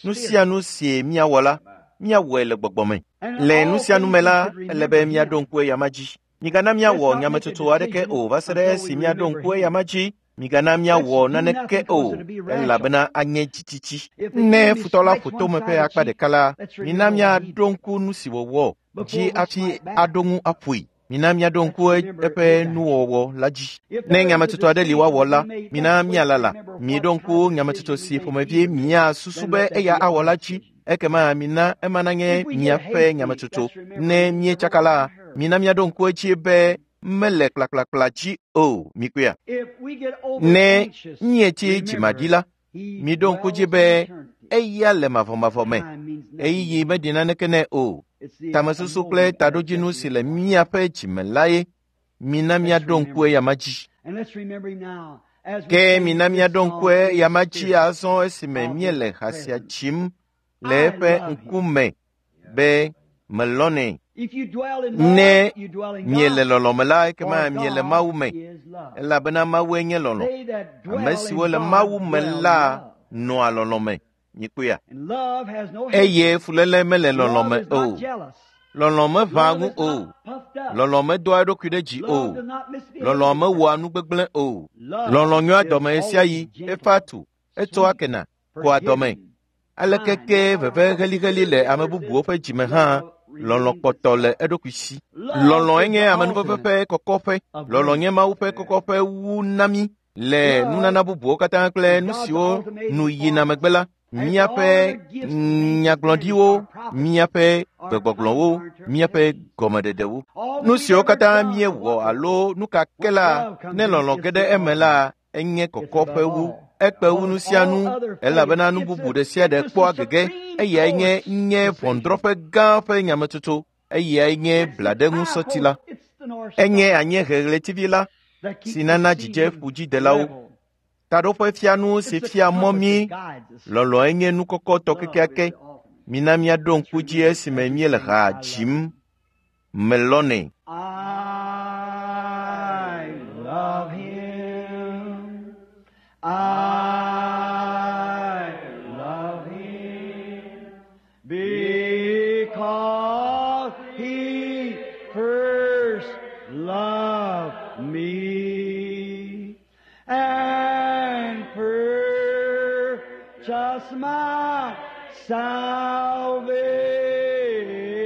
nu sia nu si míawɔ la, míawɔe le gbɔgbɔ me. Le nu sia nu me la, ele be míaɖo ŋku eyama dzi. Migana míawɔ nyametsotso aɖeke o va se ɖe esi míaɖo ŋku eyama dzi Migana míawɔ naneke o, elabena anye dzitsitsi. Ne futɔ la ƒo tome ƒe akpa ɖeka la, mina míaɖo ŋku nu si wòwɔ dzi hafi aɖo ŋu aƒoe. Mina míaɖo ŋku eƒe nuwɔwɔ la dzi. Ne nyametsotso aɖe li woawɔ la, mina míalala. Miɖo ŋku nyametsotso si ƒomevi miasusu be eya awɔ la dzi. Ekema mina ema nanye miaƒe nyametsotso. Ne míetsaka la, mina míaɖo ŋku edzi be mele kplakplakpla dzi o. Mikpɔea? Ne míetsi dzimaɖi la, miɖo ŋku dzi be eya le mavɔmavɔ me. Ɣeyiɣi meɖi naneke nɛ o. Tamesusu kple taɖodzinu si le míaƒe dzime lae. Mina míaɖo ŋku eyama dzi. Ke mina míaɖo ŋku eyama dzi azɔ esime míele ha sia dzim le eƒe ŋkume be melɔ̃nɛ. Ne miele lɔlɔ̃ me la, ekema miele Mawu me, elabena Mawue nye lɔlɔ̃. Ame siwo le Mawu me la nɔa lɔlɔ̃ me. Mikpɔea? Eye fuléle mele lɔlɔ̃ me o. Lɔlɔ̃ meʋãa ŋu o. Lɔlɔ̃ medoa eɖokui ɖe dzi o. Lɔlɔ̃ mewɔa nu gbegblẽ o. Lɔlɔ̃ nyoa dɔme ɣesiaɣi, efaa tu, etsɔa kena, kɔa dɔme. Aleke ke veve heliheli le ame bubuwo ƒe dzime hã, lɔlɔ̃ kpɔtɔ le eɖokui si. Lɔlɔ̃e nye amenuveve ƒe kɔkɔƒe. Lɔlɔ̃ nye Mawu ƒe kɔkɔƒe wu na mí le nunana bubuwo katã kple nu siwo nu yina megbe la. Míaƒe nyagblɔɖiwo, míaƒe gbegbɔgblɔwo, míaƒe gɔmeɖeɖewo. Nu siwo katã míewɔ alo nu ka ke la, ne lɔlɔ̃ ge ɖe eme la, enye kɔkɔƒe wu. Ekpe wu nu sia nu, elabena nu bubu ɖe sia ɖe kpɔa gege. Eyae nye nye ʋɔnudrɔ̃ƒe gã ƒe nyametsotso. Eyae nye blaɖeŋusɔti la. Enye anyiehe ɣletivi la si nana dzidze ƒudzidelawo. Taɖoƒe fianu si fia mɔ mí. Lɔlɔ̃e nye nu kɔkɔtɔ kekeake. Mina míaɖo ŋku dzi esime míele ha dzim. Melɔ̃nɛ. I love him. I love him because he first loved me and purchased my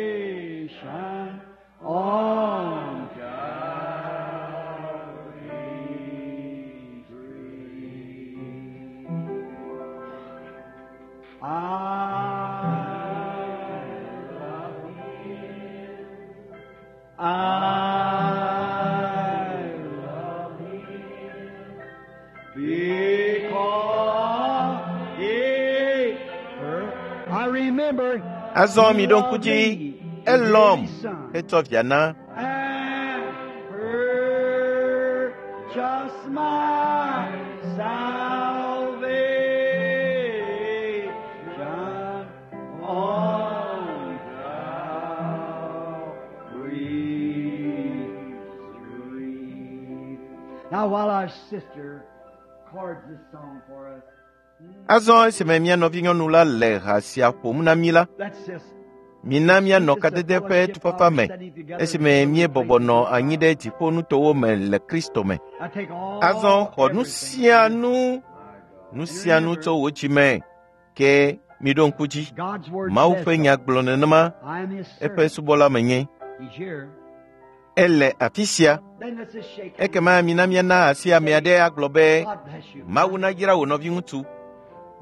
salvation on Calvary's tree. I love him. I love him because he first. I remember Azɔ he miɖo ŋku loved dzi, me and gave elɔ̃m his son. hetsɔ via na. And purchased my salvation on Calvary's tree. Now, while our sister chords this song for us, Azɔ esime mía nɔvinyɔnu la le ha sia ƒom na mí la, let's just mina míanɔ kadede ƒe tufafa me esime míebɔbɔ nɔ anyi ɖe dziƒonutowo me le Kristo me. I take all Azɔ xɔ nu everything. sia nu, nu sia nu tso wò dzi me. Ke miɖo ŋku dzi. God's word Mawu says ƒe so. nya gblɔ nenema, I am his eƒe servant. subɔla menye. He's here. Ele afi sia. Then let's just shake hands. Ekema mina míana asi ame aɖe agblɔ be, God bless you. Mawu nayra wò nɔviŋutsu.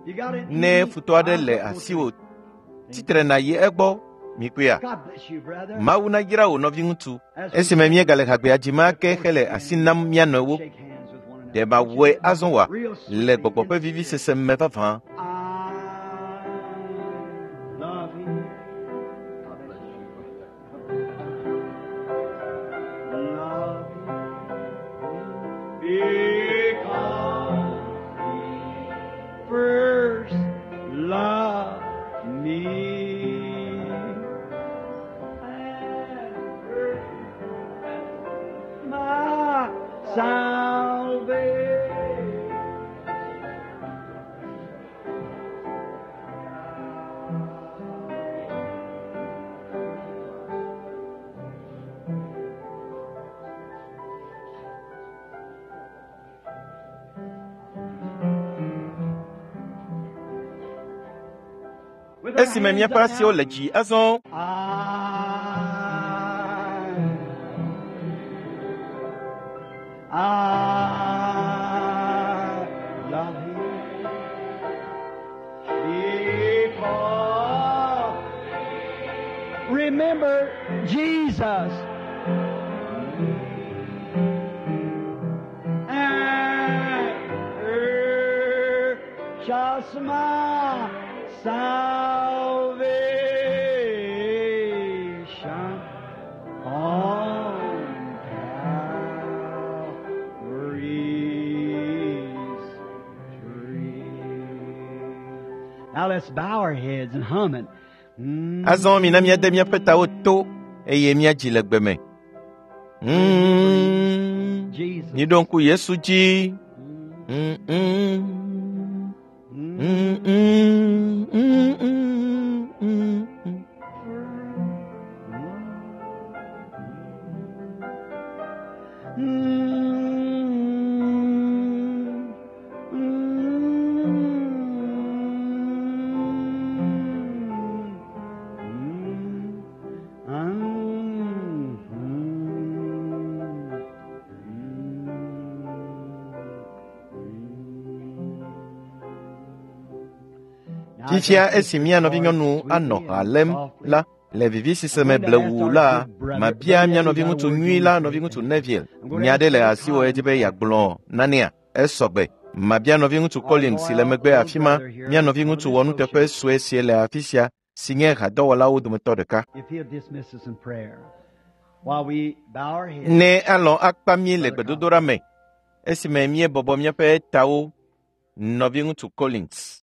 You got it? Ne futɔ aɖe le asiwò, tsitre nàyi egbɔ. Mikpɔea? God bless you, brother. Mawu nayra wò nɔviŋutsu. As we Esime míegale hagbea dzim ake hele asi nam mía nɔewo. shake hands with one Ɖe another. mawɔe azɔ wòa? Real Le sweetly gbɔgbɔ in ƒe the vivisese me vavã. I love him. God bless you, brother. Love him because he first loved me. And purchased my salvation. Esime míaƒe asiwo le dzi azɔ. I love him because remember Jesus and purchased my salvation on Calvary's tree. Now let's bow our heads and hum it. Mm. Azɔ mina míade míaƒe tawo to eye míadzi le gbe me. Mm. Jesus. Míɖo ŋku Yesu dzi. Mm, mm. Mm. Mm, mm, mm, mm, mm, mm. Mm. Mm. Mm. Mm. Fifia esi mía nɔvinyɔnu anɔ ha lém la, le vivisese me blewu la, mabia mía nɔviŋutsu nyui la nɔviŋutsu Neville. Nya aɖe le asiwò edi be yeagblɔ nanea? Esɔgbe. Mabia nɔviŋutsu Collins si le megbe afi ma, mía nɔviŋutsu wɔnuteƒe sue si le afi sia, si nye hadɔwɔlawo dometɔ ɖeka. If he'll dismiss us in prayer while we bow our heads. Ne alɔ̃ akpa mí le gbedodoɖa me esime míebɔbɔ míaƒe tawo, nɔviŋutsu Collins.